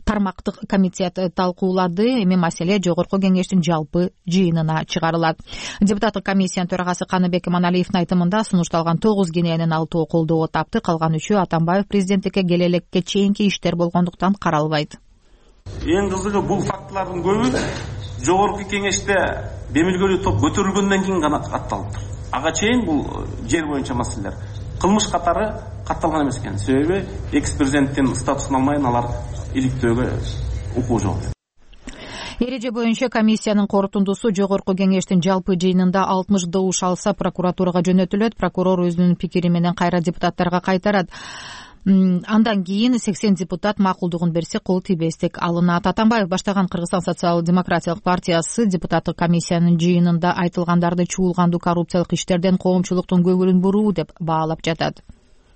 тармактык комитет талкуулады. Эми маселе жогорку кеңештин жалпы жыйынына чыгарылат. Депутаттык комиссиянын төрагасы Каныбек Иманалиевдин айтымында сунушталган тогуз кененин алтоо колдоо тапты, калган үчөө Атамбаев президенттикке келелекке чейинки иштер болгондуктан каралбайт. Эң кызыгы бул фактылардын көбү жогорку кеңеште демилгелүү топ көтөрүлгөндөн кийин гана катталыптыр. Ага чейин бул жер боюнча маселелер кылмыш катары катталган эмес экен. Себеби экс-президенттин статусун алмайын алар иликтөөгө укугу жок. Эреже боюнча комиссиянын корутундусу жогорку кеңештин жалпы жыйынында алтымыш добуш алса прокуратурага жөнөтүлөт. Прокурор өзүнүн пикири менен кайра депутаттарга кайтарат. Андан кийин сексен депутат макулдугун берсе кол тийбестик алынат. Атамбаев баштаган Кыргызстан социал-демократиялык партиясы депутаттык комиссиянын жыйынында айтылгандарды чуулгандуу коррупциялык иштерден коомчулуктун көңүлүн буруу деп баалап жатат.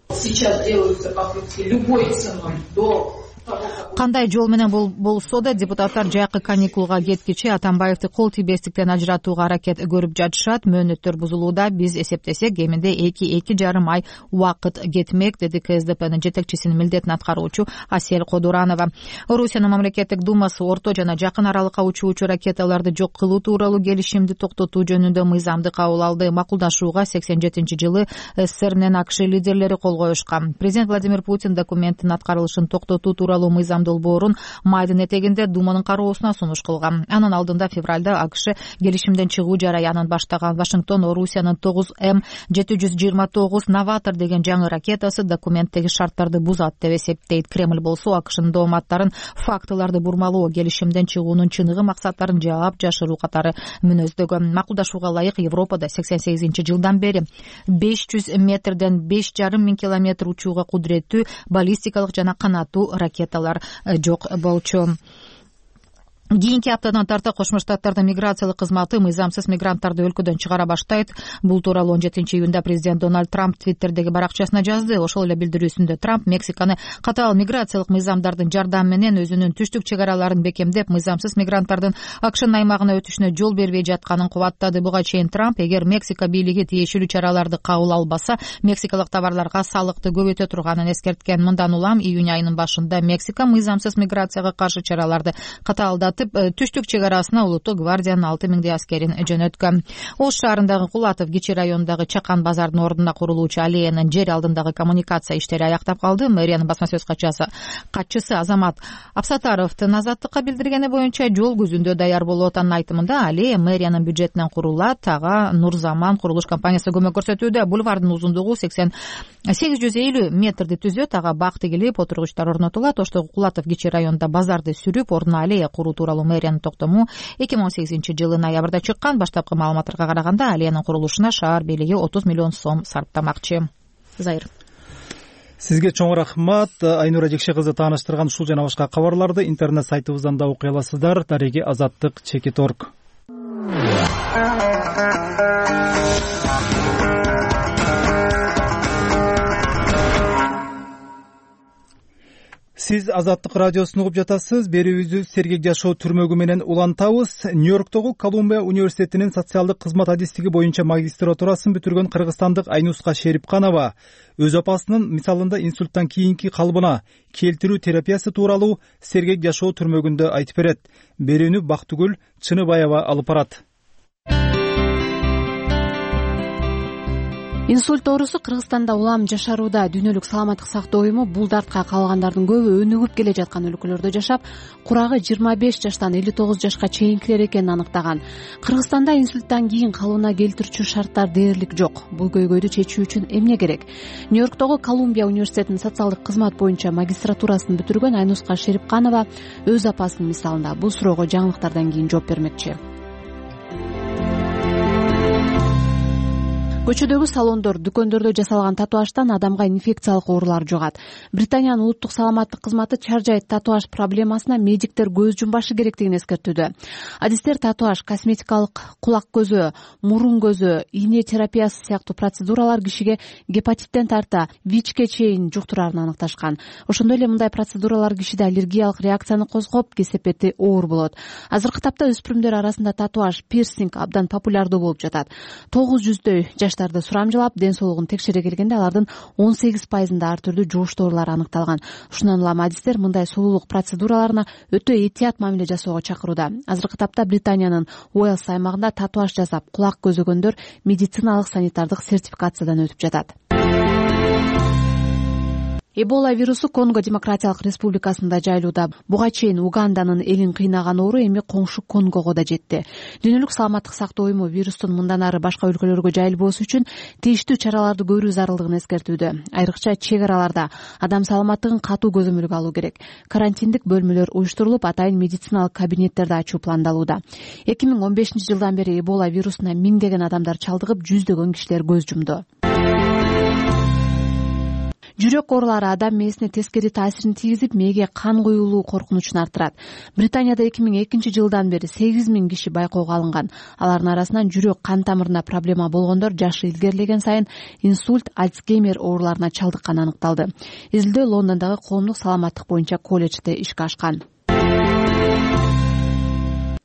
Сейчас делаются попытки любой ценой до Кандай жол менен болсо да депутаттар жайкы каникулга кеткиче Атамбаевди кол тийбестиктен ажыратууга аракет көрүп жатышат. Мөөнөттөр бузулууда, биз эсептесек кеминде эки эки жарым ай убакыт кетмек, деди КСДПнын жетекчисинин милдетин аткаруучу Асель Кодуранова. Орусиянын мамлекеттик думасы орто жана жакын аралыкка учуучу ракеталарды жок кылуу тууралуу келишимди токтотуу жөнүндө мыйзамды кабыл алды. Макулдашууга сексен жетинчи жылы СССР менен АКШ лидерлери кол коюшкан. Президент Владимир Путин документтин аткарылышын токтотуу тууралуу мыйзам долбоорун майдын этегинде Думанын кароосуна сунуш кылган. Анын алдында февралда АКШ келишимден чыгуу жараянын баштаган. Вашингтон Орусиянын тогуз М жети жүз жыйырма тогуз новатор деген жаңы ракетасы документтеги шарттарды бузат деп эсептейт. Кремль болсо АКШнын дооматтарын фактыларды бурмалоо, келишимден чыгуунун чыныгы максаттарын жаап жашыруу катары мүнөздөгөн. Макулдашууга ылайык Европада сексен сегизинчи жылдан бери беш жүз метрден беш жарым миң километр учууга кудуреттүү баллистикалык жана канаттуу ракеталар жок болчу. кийинки аптадан тарта Кошмо Штаттардын миграциялык кызматы мыйзамсыз мигранттарды өлкөдөн чыгара баштайт. Бул тууралуу он жетинчи июнда президент Дональд Трамп Твиттердеги баракчасына жазды. Ошол эле билдирүүсүндө Трамп Мексиканы катаал миграциялык мыйзамдардын жардамы менен өзүнүн түштүк чек араларын бекемдеп, мыйзамсыз мигранттардын акшын аймагына өтүшүнө жол бербей жатканын кубаттады. Буга чейин Трамп эгер Мексика бийлиги тиешелүү чараларды кабыл албаса, мексикалык товарларга салыкты көбөйтө турганын эскерткен. Мындан улам июнь айынын башында Мексика мыйзамсыз миграцияга каршы чараларды катаалдатып, түштүк чек арасына улуттук гвардиянын алты миңдей аскерин жөнөткөн. Ош шаарындагы Кулатов кичи районундагы Чакан базардын ордуна курулуучу аллеянын жер алдындагы коммуникация иштери аяктап калды. Мэриянын басма сөз катчысы Азамат Абсатаровдун Азаттыкка билдиргени боюнча жол күзүндө даяр болуп атанын айтымында аллея мэриянын бюджетинен курулат. Ага Нурзаман курулуш компаниясы көмөк көрсөтүүдө. Бульвардын узундугу сексен сегиз жүз элүү метрди түзөт. Ага бак тигилип, отургучтар орнотулат. Оштогу Кулатов кичи районунда базарды сүрүп, ордуна аллея куруу тууралуу мэриянын токтому эки миң он сегизинчи жылы ноябрда чыккан. Баштапкы маалыматтарга караганда аллеянын курулушуна шаар бийлиги отуз миллион сом сарптамакчы. Зайыр. Сизге чоң рахмат. Айнура Жекше кызы тааныштырган ушул жана башка кабарларды интернет сайтыбыздан да окуй аласыздар. Дареги азаттык чекит точка орг. Сиз Азаттык радиосун угуп жатасыз. Берүүбүздү сергек жашоо түрмөгү менен улантабыз. Нью-Йорктогу Колумбия университетинин социалдык кызмат адистиги боюнча магистратурасын бүтүргөн кыргызстандык Айнуска Шерипканова өз апасынын мисалында инсульттан кийинки калыбына келтирүү терапиясы тууралуу сергек жашоо түрмөгүндө айтып берет. Берүүнү Бактыгүл Чыныбаева алып барат. Инсульт оорусу Кыргызстанда улам жашарууда. Дүйнөлүк саламаттык сактоо уюму бул дартка калгандардын көбү өнүгүп келе жаткан өлкөлөрдө жашап, курагы жыйырма беш жаштан элүү тогуз жашка чейинкилер экенин аныктаган. Кыргызстанда инсульттан кийин калыбына келтирүүчү шарттар дээрлик жок. Бул көйгөйдү чечүү үчүн эмне керек? Нью-Йорктогу Колумбия университетинин социалдык кызмат боюнча магистратурасын бүтүргөн Айнуска Шерипканова өз апасынын мисалында бул суроого жаңылыктардан кийин жооп бермекчи. Көчөдөгү салондор, дүкөндөрдө жасалган татуаждан адамга инфекциялык оорулар жугат. Британиянын улуттук саламаттык кызматы чаржайт татуаж проблемасына медиктер көз жумбашы керектигин эскертүүдө. Адистер татуаж, косметикалык кулак көзү, мурун көзү, ийне терапиясы сыяктуу процедуралар кишиге гепатиттен тарта ВИЧке чейин жуктурарын аныкташкан. Ошондой эле мындай процедуралар кишиде аллергиялык реакцияны козгоп, кесепети оор болот. Азыркы тапта өспүрүмдөр арасында татуаж, пирсинг абдан популярдуу болуп жатат. тогуз жүздөй жаштарды сурамжылап, ден соолугун текшере келгенде алардын он сегиз пайызында ар түрдүү жугуштоолор аныкталган. Ушундан улам адистер мындай сулуулук процедураларына өтө этият мамиле жасоого чакырууда. Азыркы тапта Британиянын Уэльс аймагында татуаж жасап, кулак көзөгөндөр медициналык санитардык сертификациядан өтүп жатат. Эбола вирусу Конго Демократиялык Республикасында жайылууда. Буга чейин Уганданын элин кыйнаган оору эми коңшу Конгого да жетти. Дүйнөлүк саламаттык сактоо уюму вирустун мындан ары башка өлкөлөргө жайылбоосу үчүн тийиштүү чараларды көрүү зарылдыгын эскертүүдө. Айрыкча чек араларда адам саламаттыгын катуу көзөмөлгө алуу керек. Карантиндик бөлмөлөр уюштурулуп, атайын медициналык кабинеттерди ачуу пландалууда. эки миң он бешинчи жылдан бери Эбола вирусуна миңдеген адамдар чалдыгып, жүздөгөн кишилер көз жумду. Жүрөк оорулары адам мээсине тескери таасирин тийгизип, мээге кан куюулуу коркунучун арттырат. Британияда эки миң экинчи жылдан бери сегиз миң киши байкоого алынган. Алардын арасынан жүрөк кан тамырына проблема болгондор жашы илгерилеген сайын инсульт, Альцгеймер ооруларына чалдыкканы аныкталды. Изилдөө Лондондогу коомдук саламаттык боюнча колледжде ишке ашкан.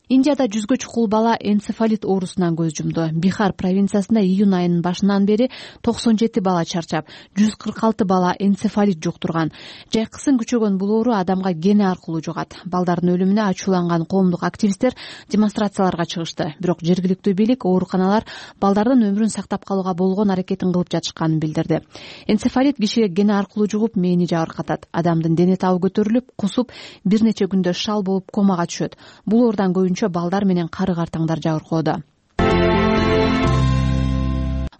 Индияда жүзгө чукул бала энцефалит оорусунан көз жумду. Бихар провинциясында июнь айынын башынан бери токсон жети бала чарчап, жүз кырк алты бала энцефалит жуктурган. Жайкысын күчөгөн бул оору адамга кене аркылуу жугат. Балдардын өлүмүнө ачууланган коомдук активисттер демонстрацияларга чыгышты. Бирок жергиликтүү бийлик ооруканалар балдардын өмүрүн сактап калууга болгон аракетин кылып жатышканын билдирди. Энцефалит кишиге кене аркылуу жугуп, мээни жабыркатат. Адамдын дене табы көтөрүлүп, кусуп, бир нече күндө шал болуп комага түшөт. Бул оордан көбүнчө балдар менен кары картаңдар жабыркоодо.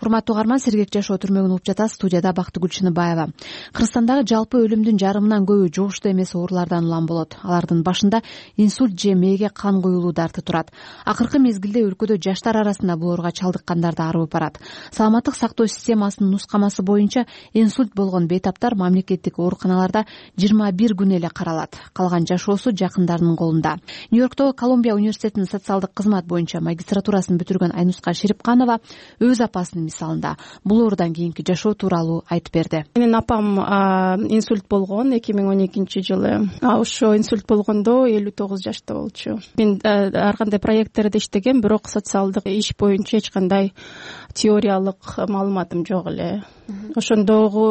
урматтуу угарман, сергек жашоо түрмөгүн угуп жатасыз. Студияда Бактыгүл Чыныбаева. Кыргызстандагы жалпы өлүмдүн жарымынан көбү жугуштуу эмес оорулардан улам болот. Алардын башында инсульт же мээге кан куюлуу дарты турат. Акыркы мезгилде өлкөдө жаштар арасында бул ооруга чалдыккандар да арыбып барат. Саламаттык сактоо системасынын нускамасы боюнча инсульт болгон бейтаптар мамлекеттик ооруканаларда жыйырма бир күн эле каралат. Калган жашоосу жакындарынын колунда. Нью-Йорктогу Колумбия университетинин социалдык кызмат боюнча магистратурасын бүтүргөн Айнуска Шерипканова өз апасынын мисалында бул оорудан кийинки жашоо тууралуу айтып берди. Менин апам инсульт болгон эки миң он экинчи жылы. Ошо инсульт болгондо элүү тогуз жашта болчу. Мен ар кандай проекттерде иштегем, бирок социалдык иш боюнча эч кандай теориялык маалыматым жок эле. Ошондогу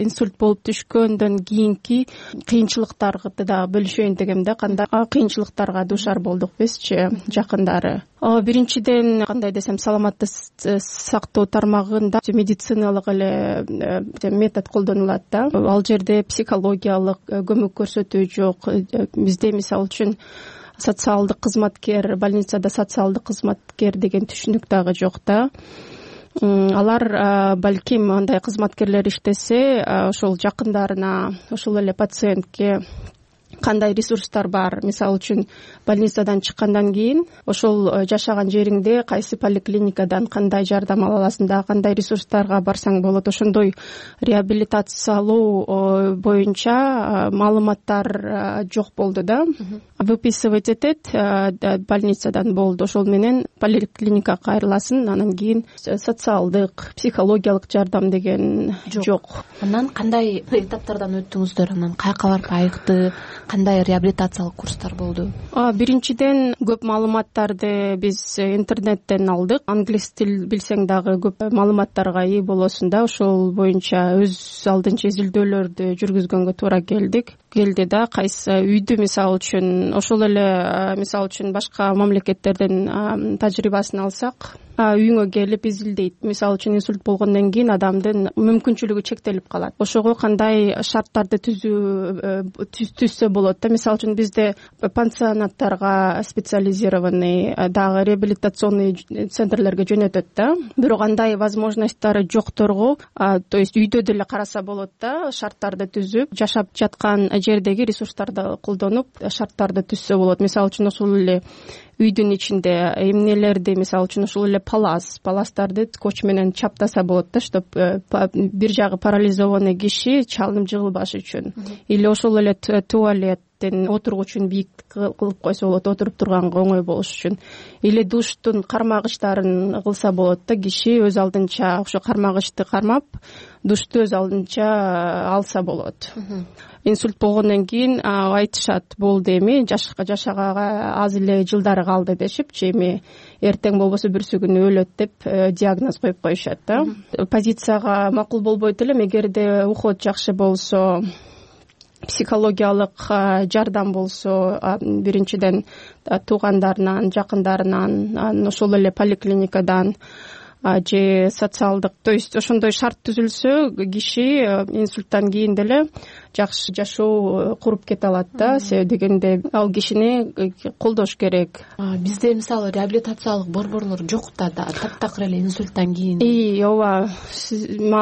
инсульт болуп түшкөндөн кийинки кыйынчылыктарды да бөлүшөйүн дегем да, кандай кыйынчылыктарга дуушар болдук бизчи жакындары. Биринчиден, кандай десем, саламаттык сактоо тармагында медициналык эле метод колдонулат да. Ал жерде психологиялык көмөк көрсөтүү жок. Бизде мисалы үчүн социалдык кызматкер, больницада социалдык кызматкер деген түшүнүк дагы жок да. Алар балким андай кызматкерлер иштесе, ошол жакындарына, ошол эле пациентке кандай ресурстар бар. Мисалы үчүн больницадан чыккандан кийин ошол жашаган жериңде кайсы поликлиникадан кандай жардам ала аласың, да кандай ресурстарга барсаң болот. Ошондой реабилитациялоо боюнча маалыматтар жок болду да. Выписывать этет больницадан болду. Ошол менен поликлиникага кайрыласың, анан кийин социалдык, психологиялык жардам деген жок. Анан кандай этаптардан өттүңүздөр? Анан каяка барып айыкты? Кандай реабилитациялык курстар болду? Биринчиден, көп маалыматтарды биз интернеттен алдык. Англис тил билсең дагы көп маалыматтарга ээ болосуң да. Ошол боюнча өз алдынча изилдөөлөрдү жүргүзгөнгө туура келдик. Келди да, кайсы үйдү мисалы үчүн, ошол эле мисалы үчүн башка мамлекеттердин тажрыйбасын алсак, үйүңө келип изилдейт. Мисалы үчүн инсульт болгондон кийин адамдын мүмкүнчүлүгү чектелип калат. Ошого кандай шарттарды түзүү түзсө болот да. Мисалы үчүн бизде пансионаттарга специализированный дагы реабилитационный центрлерге жөнөтөт да. Бирок андай возможностьтары жокторго, то есть үйдө деле караса болот да, шарттарды түзүп, жашап жаткан жердеги ресурстарды колдонуп шарттарды түзсө болот. Мисалы үчүн ошол эле үйдүн ичинде эмнелерди, мисалы үчүн ошол эле палас, паластарды скотч менен чаптаса болот да, чтоб бир жагы парализованный киши чалынып жыгылбаш үчүн. Или ошол эле туалеттин отургучун бийик кылып койсо болот, отуруп турганга оңой болуш үчүн. Или душтун кармагычтарын кылса болот да, киши өз алдынча ошо кармагычты кармап, душту өз алдынча алса болот. Инсульт болгондон кийин айтышат, болду эми жашаганга аз эле жылдары калды дешипчи, эми эртең болбосо бүрсү күнү өлөт деп диагноз коюп коюшат да. Позицияга макул болбойт элем, эгерде уход жакшы болсо, психологиялык жардам болсо, биринчиден туугандарынан, жакындарынан, ошол эле поликлиникадан же социалдык, то есть ошондой шарт түзүлсө, киши инсульттан кийин деле жакшы жашоо куруп кете алат да. Себеби дегенде ал кишини колдош керек. Бизде мисалы реабилитациялык борборлор жок да, таптакыр эле инсульттан кийин. И ооба,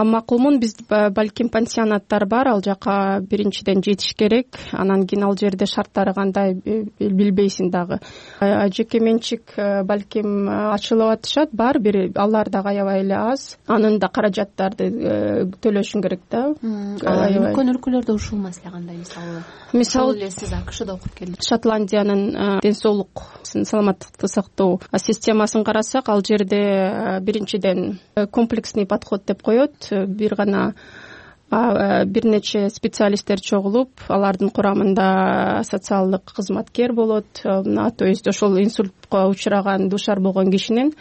макулмун. Биз балким пансионаттар бар, ал жака биринчиден жетиш керек, анан кийин ал жерде шарттары кандай билбейсиң дагы. Жеке менчик балким ачылып атышат, бар бир, алар дагы аябай эле аз. Анын да каражаттарды төлөшүң керек да. Үлкөн өлкөлөрдө ушул маселе кандай? Мисалы, мисалы эле сиз АКШда окуп келдиңиз. Шотландиянын ден соолук, саламаттыкты сактоо системасын карасак, ал жерде биринчиден комплексный подход деп коет. Бир гана бир нече специалисттер чогулуп, алардын курамында социалдык кызматкер болот. То есть ошол инсультка учураган, дуушар болгон кишинин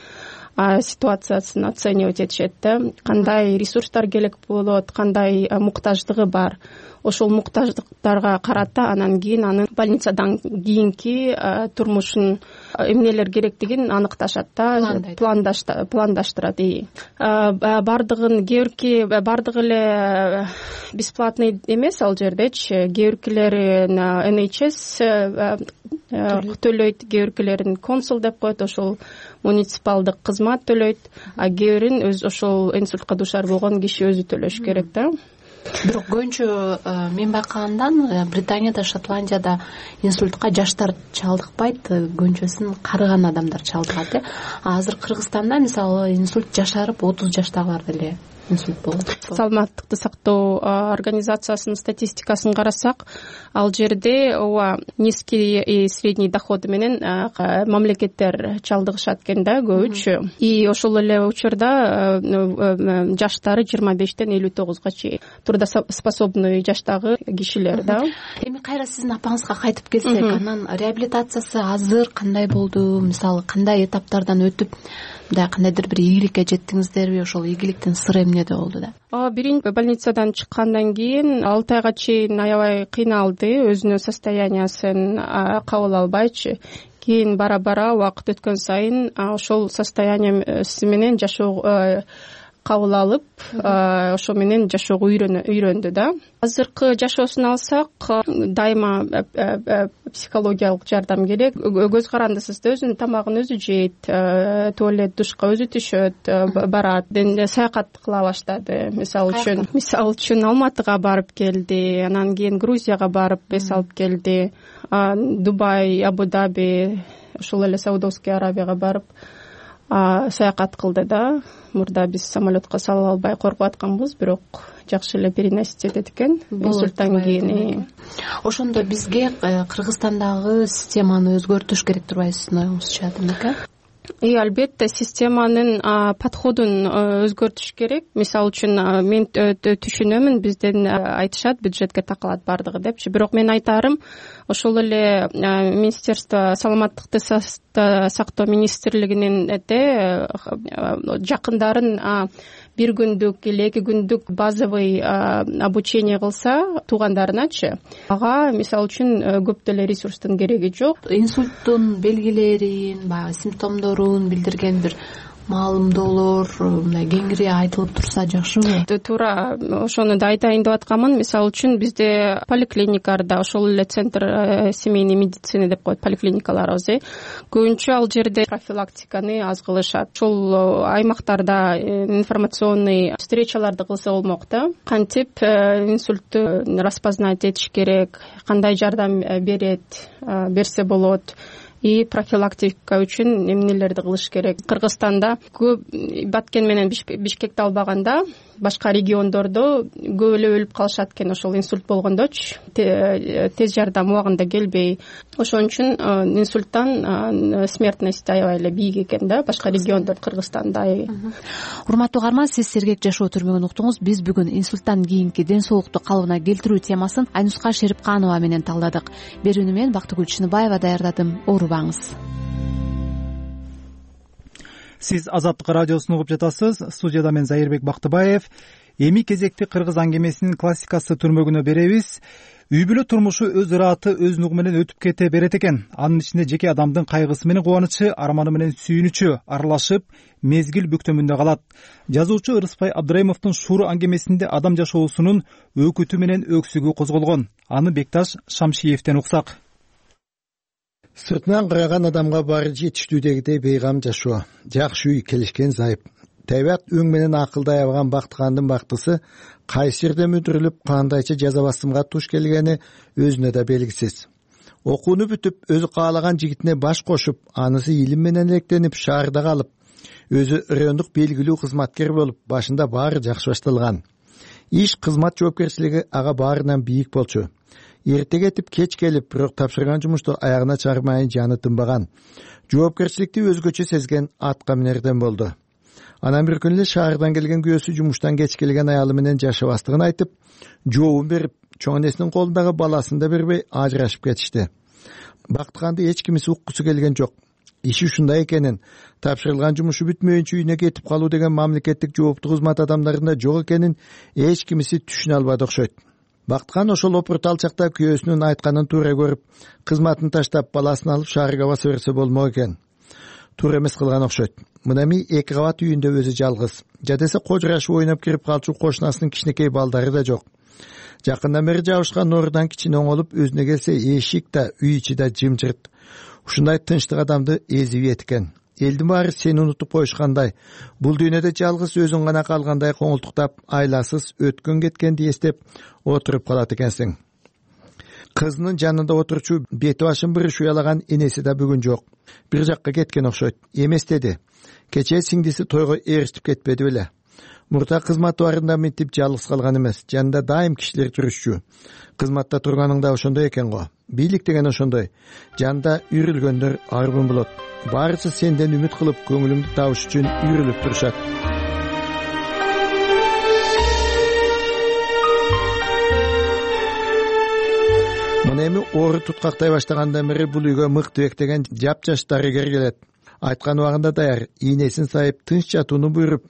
ситуациясын оценивать этишет да. Кандай ресурстар керек болот, кандай муктаждыгы бар. Ошол муктаждыктарга карата анан кийин анын больницадан кийинки турмушун эмнелер керектигин аныкташат да, пландаштырат. Бардыгын кээ бирки бардыгы эле бесплатный эмес ал жердечи. Кээ биркилери эн эйч эс төлөйт, кээ биркилерин консул деп коет, ошол муниципалдык кызмат төлөйт, а кээ бирин өз ошол инсультка дуушар болгон киши өзү төлөш керек да. Бирок көбүнчө мен байкагандан Британияда, Шотландияда инсультка жаштар чалдыкпайт, көбүнчөсүн карыган адамдар чалдыгат э. Азыр Кыргызстанда мисалы инсульт жашарып отуз жаштагыларда эле инсульт болот. Саламаттыкты сактоо организациясынын статистикасын карасак, ал жерде ооба низкий и средний доходу менен мамлекеттер чалдыгышат экен да көбүнчө. И ошол эле учурда жаштары жыйырма бештен элүү тогузга чейин трудоспособный жаштагы кишилер да. Эми кайра сиздин апаңызга кайтып келсек, анан реабилитациясы азыр кандай болду? Мисалы кандай этаптардан өтүп, мындай кандайдыр бир ийгиликке жеттиңиздерби? Ошол ийгиликтин сыры эмнеде болду да? Биринчи больницадан чыккандан кийин алты айга чейин аябай кыйналды, өзүнүн состояниясын кабыл албайчы. Кийин бара бара убакыт өткөн сайын ошол состояниясы менен жашоо кабыл алып, ошо менен жашоого үйрөндү да. Азыркы жашоосун алсак, дайыма психологиялык жардам керек. Көз карандысыз да, өзүнүн тамагын өзү жейт, туалет, душка өзү түшөт, барат, саякат кыла баштады. Мисалы үчүн, мисалы үчүн Алматыга барып келди, анан кийин Грузияга барып эс алып келди, Дубай, Абу-Даби, ошол эле Саудовский Аравияга барып саякат кылды да. Мурда биз самолетко сала албай коркуп атканбыз, бирок жакшы эле переносить этет экен инсульттан кийин. Ошондо бизге Кыргызстандагы системаны өзгөртүш керек турбайсызбы, оюңузча, демек? И албетте системанын подходун өзгөртүш керек. Мисалы үчүн мен түшүнөмүн, бизден айтышат бюджетке такалат бардыгы депчи, бирок мен айтарым, ошол эле Министерство саламаттыкты сактоо министрлигинин жакындарын бир күндүк или эки күндүк базовый обучение кылса туугандарыначы, ага мисалы үчүн көп деле ресурстун кереги жок. Инсульттун белгилерин, баягы симптомдорун билдирген бир маалымдоолор мындай кеңири айтылып турса жакшыбы? Туура ошону да айтайын деп атканмын. Мисалы үчүн бизде поликлиникаларда, ошол эле центр семейной медицины деп коет поликлиникаларыбыз, э көбүнчө ал жерде профилактиканы аз кылышат. Ошол аймактарда информационный встречаларды кылса болмок да. Кантип инсультту распознать этиш керек, кандай жардам берет, берсе болот. И профилактика үчүн эмнелерди кылыш керек. Кыргызстанда көп Баткен менен Бишкекти албаганда, башка региондордо көп эле өлүп калышат экен ошол инсульт болгондочу, тез жардам убагында келбей. Ошон үчүн инсульттан смертность аябай эле бийик экен да, башка региондор Кыргызстанда. Урматтуу угарман, сиз Сергек жашоо түрмөгүн уктуңуз. Биз бүгүн инсульттан кийинки ден соолукту калыбына келтирүү темасын Айнуска Шерипканова менен талдадык. Берүүнү мен Бактыгүл Чыныбаева даярдадым. Оорубаңыз. Сиз Азаттык радиосун угуп жатасыз. Студияда мен Зайырбек Бактыбаев. Эми кезекти кыргыз аңгемесинин классикасы түрмөгүнө беребиз. Үй бүлө турмушу өз ыраты, өз нугу менен өтүп кете берет экен. Анын ичинде жеке адамдын кайгысы менен кубанычы, арманы менен сүйүнүчү аралашып, мезгил бүктөмүндө калат. Жазуучу Ырыспай Абдыраимовдун Шууру аңгемесинде адам жашоосунун өкүтү менен өксүгү козголгон. Аны Бекташ Шамшиевден уксак. Сыртынан караган адамга баары жетиштүүдөгүдөй бейгам жашоо, жакшы үй, келишкен зайып. Табият өң менен акылдай алган бактыгандын бактысы кайсы жерде мүдүрүлүп, кандайча жаза басымга туш келгени өзүнө да белгисиз. Окууну бүтүп, өзү каалаган жигитине баш кошуп, анысы илим менен электенип, шаарда калып, өзү райондук белгилүү кызматкер болуп, башында баары жакшы башталган. Иш, кызмат жоопкерчилиги ага баарынан бийик болчу. Эрте кетип, кеч келип, бирок тапшырган жумушту аягына чыгармайын жаны тынбаган. Жоопкерчиликти өзгөчө сезген атка минерден болду. Анан бир күнү эле шаардан келген күйөөсү жумуштан кеч келген аялы менен жашабастыгын айтып, жообун берип, чоң энесинин колундагы баласын да бербей ажырашып кетишти. Бактыганды эч кимиси уккусу келген жок. Иши ушундай экенин, тапшырылган жумушу бүтмөйүнчө үйүнө кетип калуу деген мамлекеттик жооптуу кызмат адамдарында жок экенин эч кимиси түшүнө албады окшойт. Бактыган ошол опурт алчакта күйөөсүнүн айтканын туура көрүп, кызматын таштап, баласын алып шаарга баса берсе болмок экен. Туура эмес кылган окшойт. Мына эми эки кабат үйүндө өзү жалгыз. Жадесе кожурашып ойноп кирип калчу кошунасынын кичинекей балдары да жок. Жакындан бери жабышкан нурудан кичине оңолуп өзүнө келсе, эшик да, үй ичи да жымжырт. ушундай тынчтык адамды эзип экен. Элдин баары сени унутуп коюшкандай, бул дүйнөдө жалгыз өзүң гана калгандай коңултуктап, айласыз өткөн кеткенди эстеп отуруп калат экенсиң. Кызынын жанында отурчу бети башын бырыш уялаган энеси да бүгүн жок. Бир жакка кеткен окшойт. Эмес деди. Кечээ сиңдиси тойго ээрчитип кетпеди беле. Мурда кызматы барында мынтип жалгыз калган эмес. Жанында дайым кишилер жүрүшчү. Кызматта турганыңда ошондой экен го. Бийлик деген ошондой. Жанында үйрүлгөндөр арбын болот. Баарысы сенден үмүт кылып, көңүлүңдү табыш үчүн үйрүлүп турушат. Мына эми оору туткактай баштагандан бери бул үйгө Мыктыбек деген жапжаш дарыгер келет. Айткан убагында даяр, ийнесин сайып, тынч жатууну буйруп,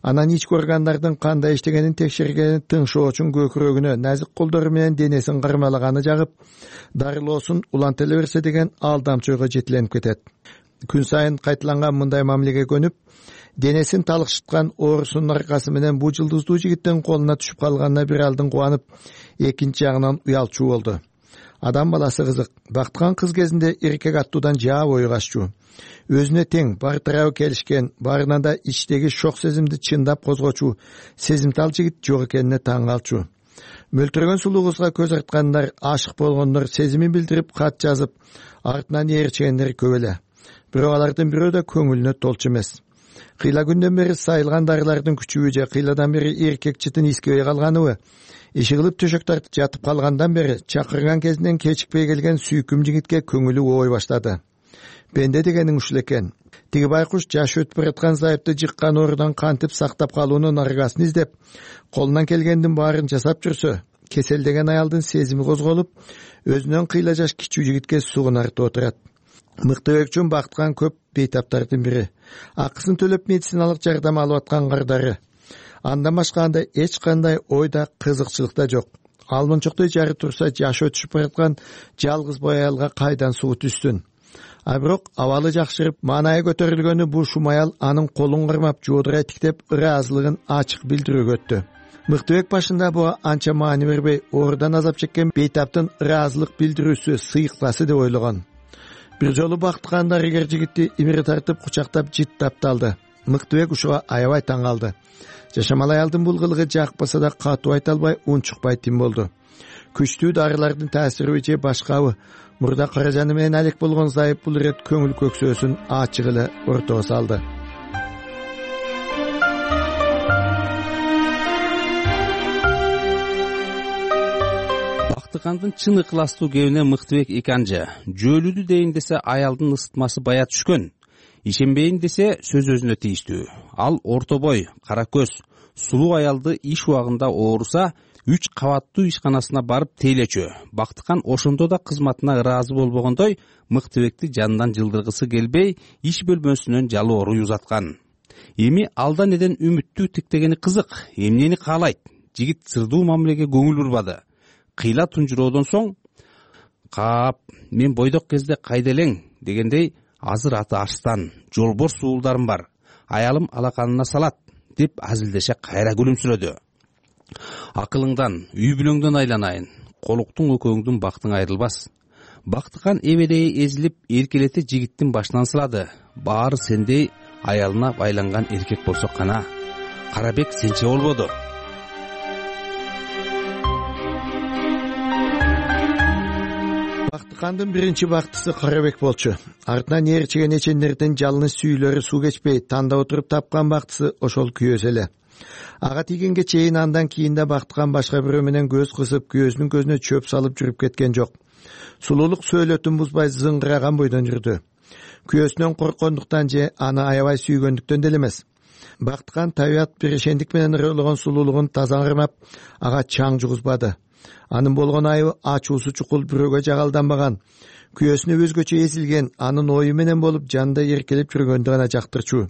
анан ички органдардын кандай иштегенин текшергени тыңшоо үчүн көкүрөгүнө назик колдору менен денесин кармалаганы жагып, дарылоосун улантыла берсе деген алдамчы ойго жетиленип кетет. Күн сайын кайталанган мындай мамилеге көнүп, денесин талыкшыткан оорусунун аркасы менен бул жылдыздуу жигиттин колуна түшүп калганына бир алдын кубанып, экинчи жагынан уялчу болду. Адам баласы кызык. Бактыган кыз кезинде эркек аттуудан жаа бою каччу. Өзүнө тең, бар тарабы келишкен, барынан да ичтеги шок сезимди чындап козгочу, сезимтал жигит жок экенине таң калчу. Мөлтүрөгөн сулуу кызга көз арткандар, ашык болгондор, сезимин билдирип кат жазып, артынан ээрчигендер көп эле. Бирок алардын бирөө да көңүлүнө толчу эмес. Кыйла күндөн бери сайылган дарылардын күчүбү же кыйладан бери эркек чытын искебей калганыбы, иши кылып төшөк тартып жатып калгандан бери чакырган кезинен кечикпей келген сүйкүм жигитке көңүлү оой баштады. Бенде дегениң ушул экен. Тиги байкуш жаш өтүп бараткан зайыпты жыккан оорудан кантип сактап калуунун аргасын издеп, колунан келгендин баарын жасап жүрсө, кеселдеген аялдын сезими козголуп, өзүнөн кыйла жаш кичүү жигитке сугунартып отурат. Мыктыбек үчүн бактыган көп бейтаптардын бири. Акысын төлөп медициналык жардам алып аткан кардары. Андан башка анда эч кандай ойда, кызыкчылык да жок. Алмынчоктой жары турса, жашы өтүшүп бараткан жалгыз бой аялга кайдан суу түстүн. А бирок абалы жакшырып, маанайы көтөрүлгөнү бул шум аял анын колун кармап, жоодурай тиктеп, ыраазылыгын ачык билдирүүгө өттү. Мыктыбек башында буга анча маани бербей, оорудан азап чеккен бейтаптын ыраазылык билдирүүсү сыйыктасы деп ойлогон. Бир жолу бактыган дарыгер жигитти имири тартып, кучактап, жыттап талды. Мыктыбек ушуга аябай таң калды. Жашамал аялдын бул кылыгы жакпаса да катуу айта албай, унчукпай тим болду. Күчтүү дарылардын таасириби же башкабы, мурда каражаны менен алек болгон зайып бул ирет көңүл көксөөсүн ачык эле ортого салды. Бактыгандын чын ыкластуу кебине Мыктыбек эканжы. Жөөлүдү дейин десе аялдын ысытмасы бая түшкөн. Ишенбейин десе сөз өзүнө тийиштүү. Ал орто бой, кара көз, сулуу аялды иш убагында ооруса, үч кабаттуу ишканасына барып тейлечү. Бактыган ошондо да кызматына ыраазы болбогондой, Мыктыбекти жанынан жылдыргысы келбей, иш бөлмөсүнөн жалоору узаткан. Эми алдан эден үмүттүү тиктегени кызык, эмнени каалайт? Жигит сырдуу мамилеге көңүл бурбады. Кыйла тунжуроодон соң, "Кап, мен бойдок кезде кайда элең?" дегендей, "Азыр аты Арстан, жолборс суулдарым бар. Аялым алаканына салат" деп азилдеше кайра күлүмсүрөдү. "Акылыңдан, үй бүлөңдөн айланайын. Колуктуң экөөңдүн бактың айрылбас." Бактыган эбедей эзилип, эркелете жигиттин башынан сылады. Баары сендей аялына байланган эркек болсо кана. Карабек сенче болбоду. Бактыгандын биринчи бактысы Карабек болчу. Артынан ээрчиген эчендердин жалыны сүйүлөрү суу кечпей, танда отуруп тапкан бактысы ошол күйөөсү эле. Ага тийгенге чейин андан кийин да Бактыган башка бирөө менен көз кысып, күйөөсүнүн көзүнө чөп салып жүрүп кеткен жок. Сулуулук сөөлөтүн бузбай зыңгыраган бойдон жүрдү. Күйөөсүнөн корккондуктан же аны аябай сүйгөндүктөн деле эмес. Бактыган табият биришендик менен ырыологон сулуулугун таза кармап, ага чаң жугузбады. Анын болгон айыбы ачуусу чукул бирөөгө жагалданбаган, күйөөсүнө өзгөчө эзилген, анын ою менен болуп жанында эркелеп жүргөндү гана жактырчу.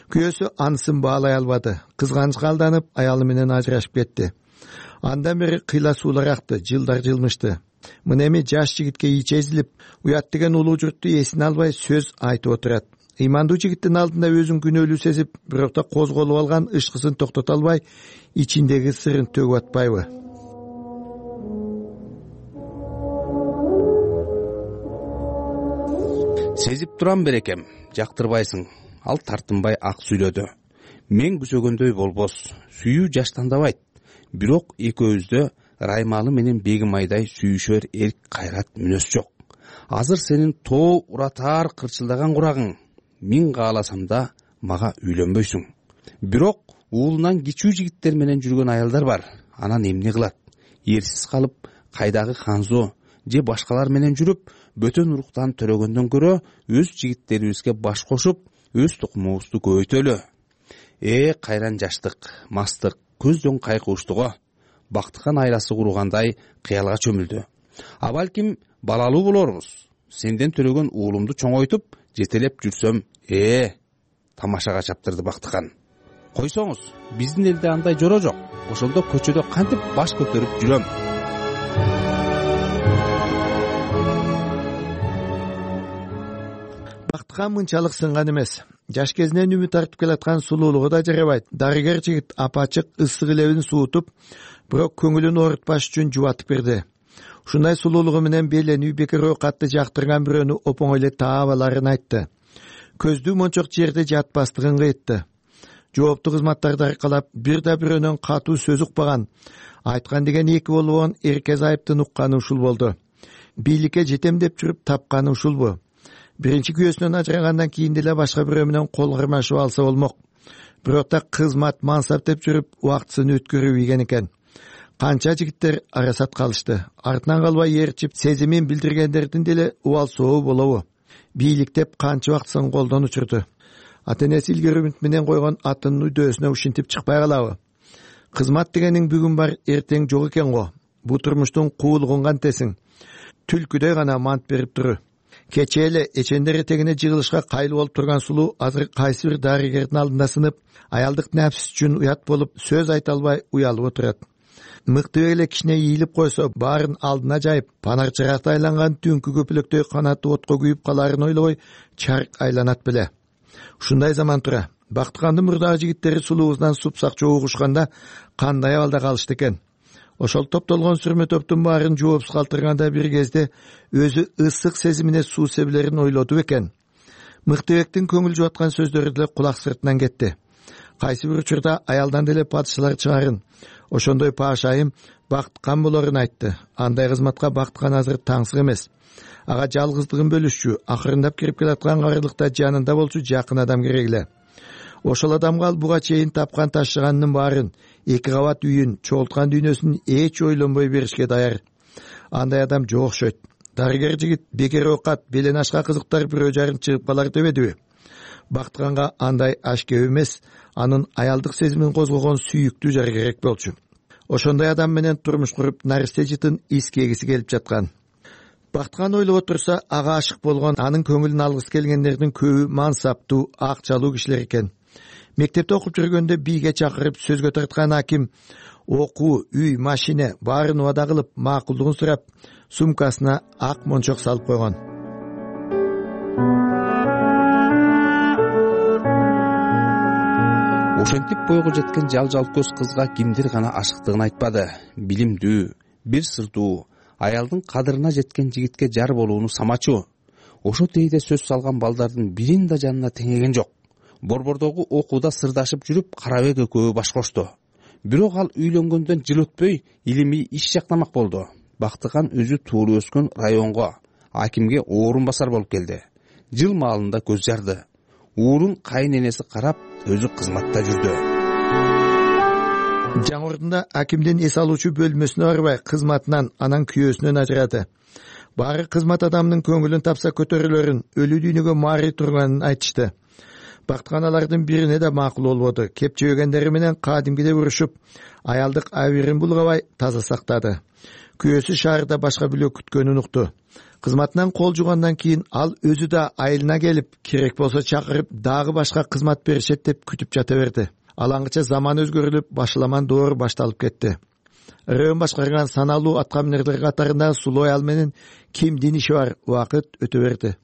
Күйөөсү анысын баалай албады. Кызганычка алданып, аялы менен ажырашып кетти. Андан бери кыйла суулар акты, жылдар жылмышты. Мына эми жаш жигитке ичи эзилип, уят деген улуу журтту эсине албай сөз айтып отурат. Ыймандуу жигиттин алдында өзүн күнөөлүү сезип, бирок да козголуп алган ышкысын токтото албай, ичиндеги сырын төгүп атпайбы? Сезип турам берекем, жактырбайсың. Ал тартынбай ак сүйлөдү. Мен күсөгөндөй болбос, сүйүү жаштандабайт. Бирок экөөбүздө Раймалы менен Бегим айдай сүйүшөр эрк кайрат мүнөз жок. Азыр сенин тоо уратаар кырчылдаган курагың. Мен кааласам да мага үйлөнбөйсүң. Бирок уулунан кичүү жигиттер менен жүргөн аялдар бар. Анан эмне кылат? Эрсиз калып, кайдагы Ханзо же башкалар менен жүрүп, бөтөн уруктан төрөгөндөн көрө өз жигиттерибизге баш кошуп, өз тукумубузду көбөйтөлү. Э, кайран жаштык, мастык, көздөн кайкууштуго. Бактыкан айласы кургандай кыялга чөмүлдү. А балким балалуу болорбуз. Сенден төрөгөн уулумду чоңойтуп, жетелеп жүрсөм, э, тамашага чаптырды Бактыкан. Койсоңуз, биздин элде андай жора жок. Ошондо көчөдө кантип баш көтөрүп жүрөм. Бактыкан мынчалык сынган эмес. Жаш кезинен үмүт тартып келаткан сулуулугу да жарабайт. Дарыгер жигит апачык ысык лебин суутуп, бирок көңүлүн оорутпаш үчүн жубатып берди. Ушундай сулуулугу менен беленүү бекер оокатты жактырган бирөөнү опоңой эле таап аларын айтты. Көздүү мончок жерде жатпастыгын кыйтты. Жооптуу кызматтарды аркалап, бир да бирөөнөн катуу сөз укпаган, айткан деген эки болгон эрке зайыптын укканы ушул болду. Бийликке жетем деп жүрүп тапканы ушулбу? Биринчи күйөөсүнөн ажырагандан кийин деле башка бирөө менен кол кармашып алса болмок. Бирок да кызмат, мансап деп жүрүп убактысын өткөрүп ийген экен. Канча жигиттер арасат калышты. Артынан калбай ээрчип, сезимин билдиргендердин деле убал сообу болобу? Бийлик деп канча убактысын колдон учурду. Ата-энеси илгери үмүт менен койгон атынын үдөөсүнө ушинтип чыкпай калабы? Кызмат дегениң бүгүн бар, эртең жок экен го. Бу турмуштун куулугун кантесиң? Түлкүдөй гана мант берип туру. Кечээ эле эчендер этегине жыгылышка кайыл болуп турган сулуу азыр кайсы бир дарыгердин алдында сынып, аялдык напс үчүн уят болуп, сөз айта албай уялып отурат. Мыкты эле кичине ийилип койсо, баарын алдына жайып, панар чыракта айланган түнкү көпөлөктөй канаты отко күйүп каларын ойлобой, чарк айланат беле. Ушундай заман тура. Бактыкандын мурдагы жигиттери сулуубуздан супсак чогугушканда кандай абалда калышты экен? Ошол топтолгон сүрмө топтун баарын жоопсуз калтырганда бир кезде өзү ысык сезимине суу себилерин ойлоду экен. Мыктыбектин көңүл жубаткан сөздөрү деле кулак сыртынан кетти. Кайсы бир учурда аялдан деле падышалар чыгарын, ошондой паашайым Бактыкан болорун айтты. Андай кызматка Бактыкан азыр таңсык эмес. Ага жалгыздыгын бөлүшчү, акырындап кирип келаткан карылыкта жанында болчу жакын адам керек эле. Ошол адамга ал буга чейин тапкан ташыганынын баарын, эки кабат үйүн, чогулткан дүйнөсүн эч ойлонбой беришке даяр. Андай адам жок окшойт. Дарыгер жигит бекер оокат, белен ашка кызыктар бирөө жарым чыгып калар дебедиби? Бактыканга андай аш кеп эмес, анын аялдык сезимин козгогон сүйүктүү жар керек болчу. Ошондой адам менен турмуш куруп, наристе жытын искегиси келип жаткан. Бактыкан ойлоп отурса, ага ашык болгон, анын көңүлүн алгысы келгендердин көбү мансаптуу, акчалуу кишилер экен. Мектепте окуп жүргөндө бийге чакырып сөзгө тарткан аким окуу, үй, машина баарын убада кылып, макулдугун сурап, сумкасына ак мончок салып койгон. Ошентип бойго жеткен жал-жал көз кызга кимдир гана ашыктыгын айтпады. Билимдүү, бир сырдуу, аялдын кадырына жеткен жигитке жар болууну самачу. Ошо тейде сөз салган балдардын бирин да жанына теңеген жок. Борбордогу окууда сырдашып жүрүп, Карабек экөө баш кошту. Бирок ал үйлөнгөндөн жыл өтпөй илимий иш жактамак болду. Бактыкан өзү туура өскөн районго, акимге орун басар болуп келди. Жыл маалында көз жарды. Уурун кайын энеси карап, өзү кызматта жүрдү. Жаңырдында акимдин эс алуучу бөлмөсүнө барбай, кызматынан, анан күйөөсүнөн ажырады. Баары кызмат адамынын көңүлүн тапса көтөрүлөрүн, өлүү дүйнөгө мари турганын айтышты. Бактыкан алардын бирине да макул болбоду. Кепчебегендери менен кадимгидей урушуп, аялдык абийирин булгабай таза сактады. Күйөөсү шаарда башка бирөө күткөнүн укту. Кызматынан кол жугандан кийин ал өзү да айылына келип, керек болсо чакырып, дагы башка кызмат беришет деп күтүп жата берди. Алаңгыча заман өзгөрүлүп, башаламан доор башталып кетти. Район башкарган саналуу аткаминерлер катарында сулуу аял менен кимдин иши бар, убакыт өтө берди.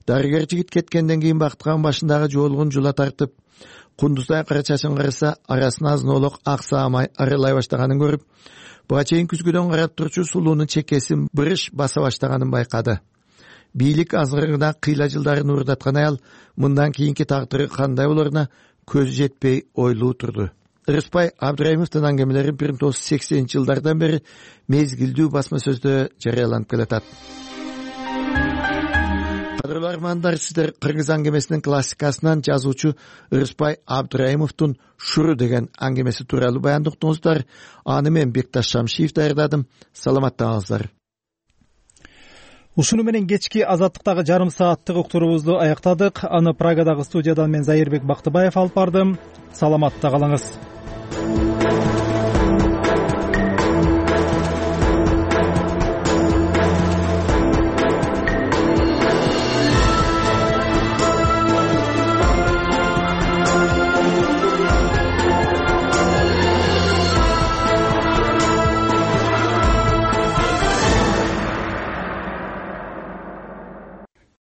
Дарыгер жигит кеткенден кийин Бактыкан башындагы жоолугун жула тартып, кундуздай кара чачын караса, арасына азын-олок ак саамай арылай баштаганын көрүп, буга чейин күзгүдөн карап турчу сулуунун чекесин бырыш баса баштаганын байкады. бийлик азгырына кыйла жылдарын уурдаткан аял мындан кийинки тагдыры кандай болоруна көзү жетпей ойлуу турду. Ырыспай Абдыраимовдун аңгемелери бир миң тогуз жүз сексенинчи жылдардан бери мезгилдүү басма сөздө жарыяланып келатат. Кадырлуу армандар, сиздер кыргыз аңгемесинин классикасынан жазуучу Ырыспай Абдыраимовдун «Шуру» деген аңгемеси тууралуу баян уктуңуздар. Аны мен Бекташ Шамшиев даярдадым. Саламаттаңыздар. Ушуну менен кечки Азаттыктагы жарым сааттык уктуруубузду аяктадык. Аны Прагадагы студиядан мен Зайырбек Бактыбаев алып бардым. Саламатта калыңыз.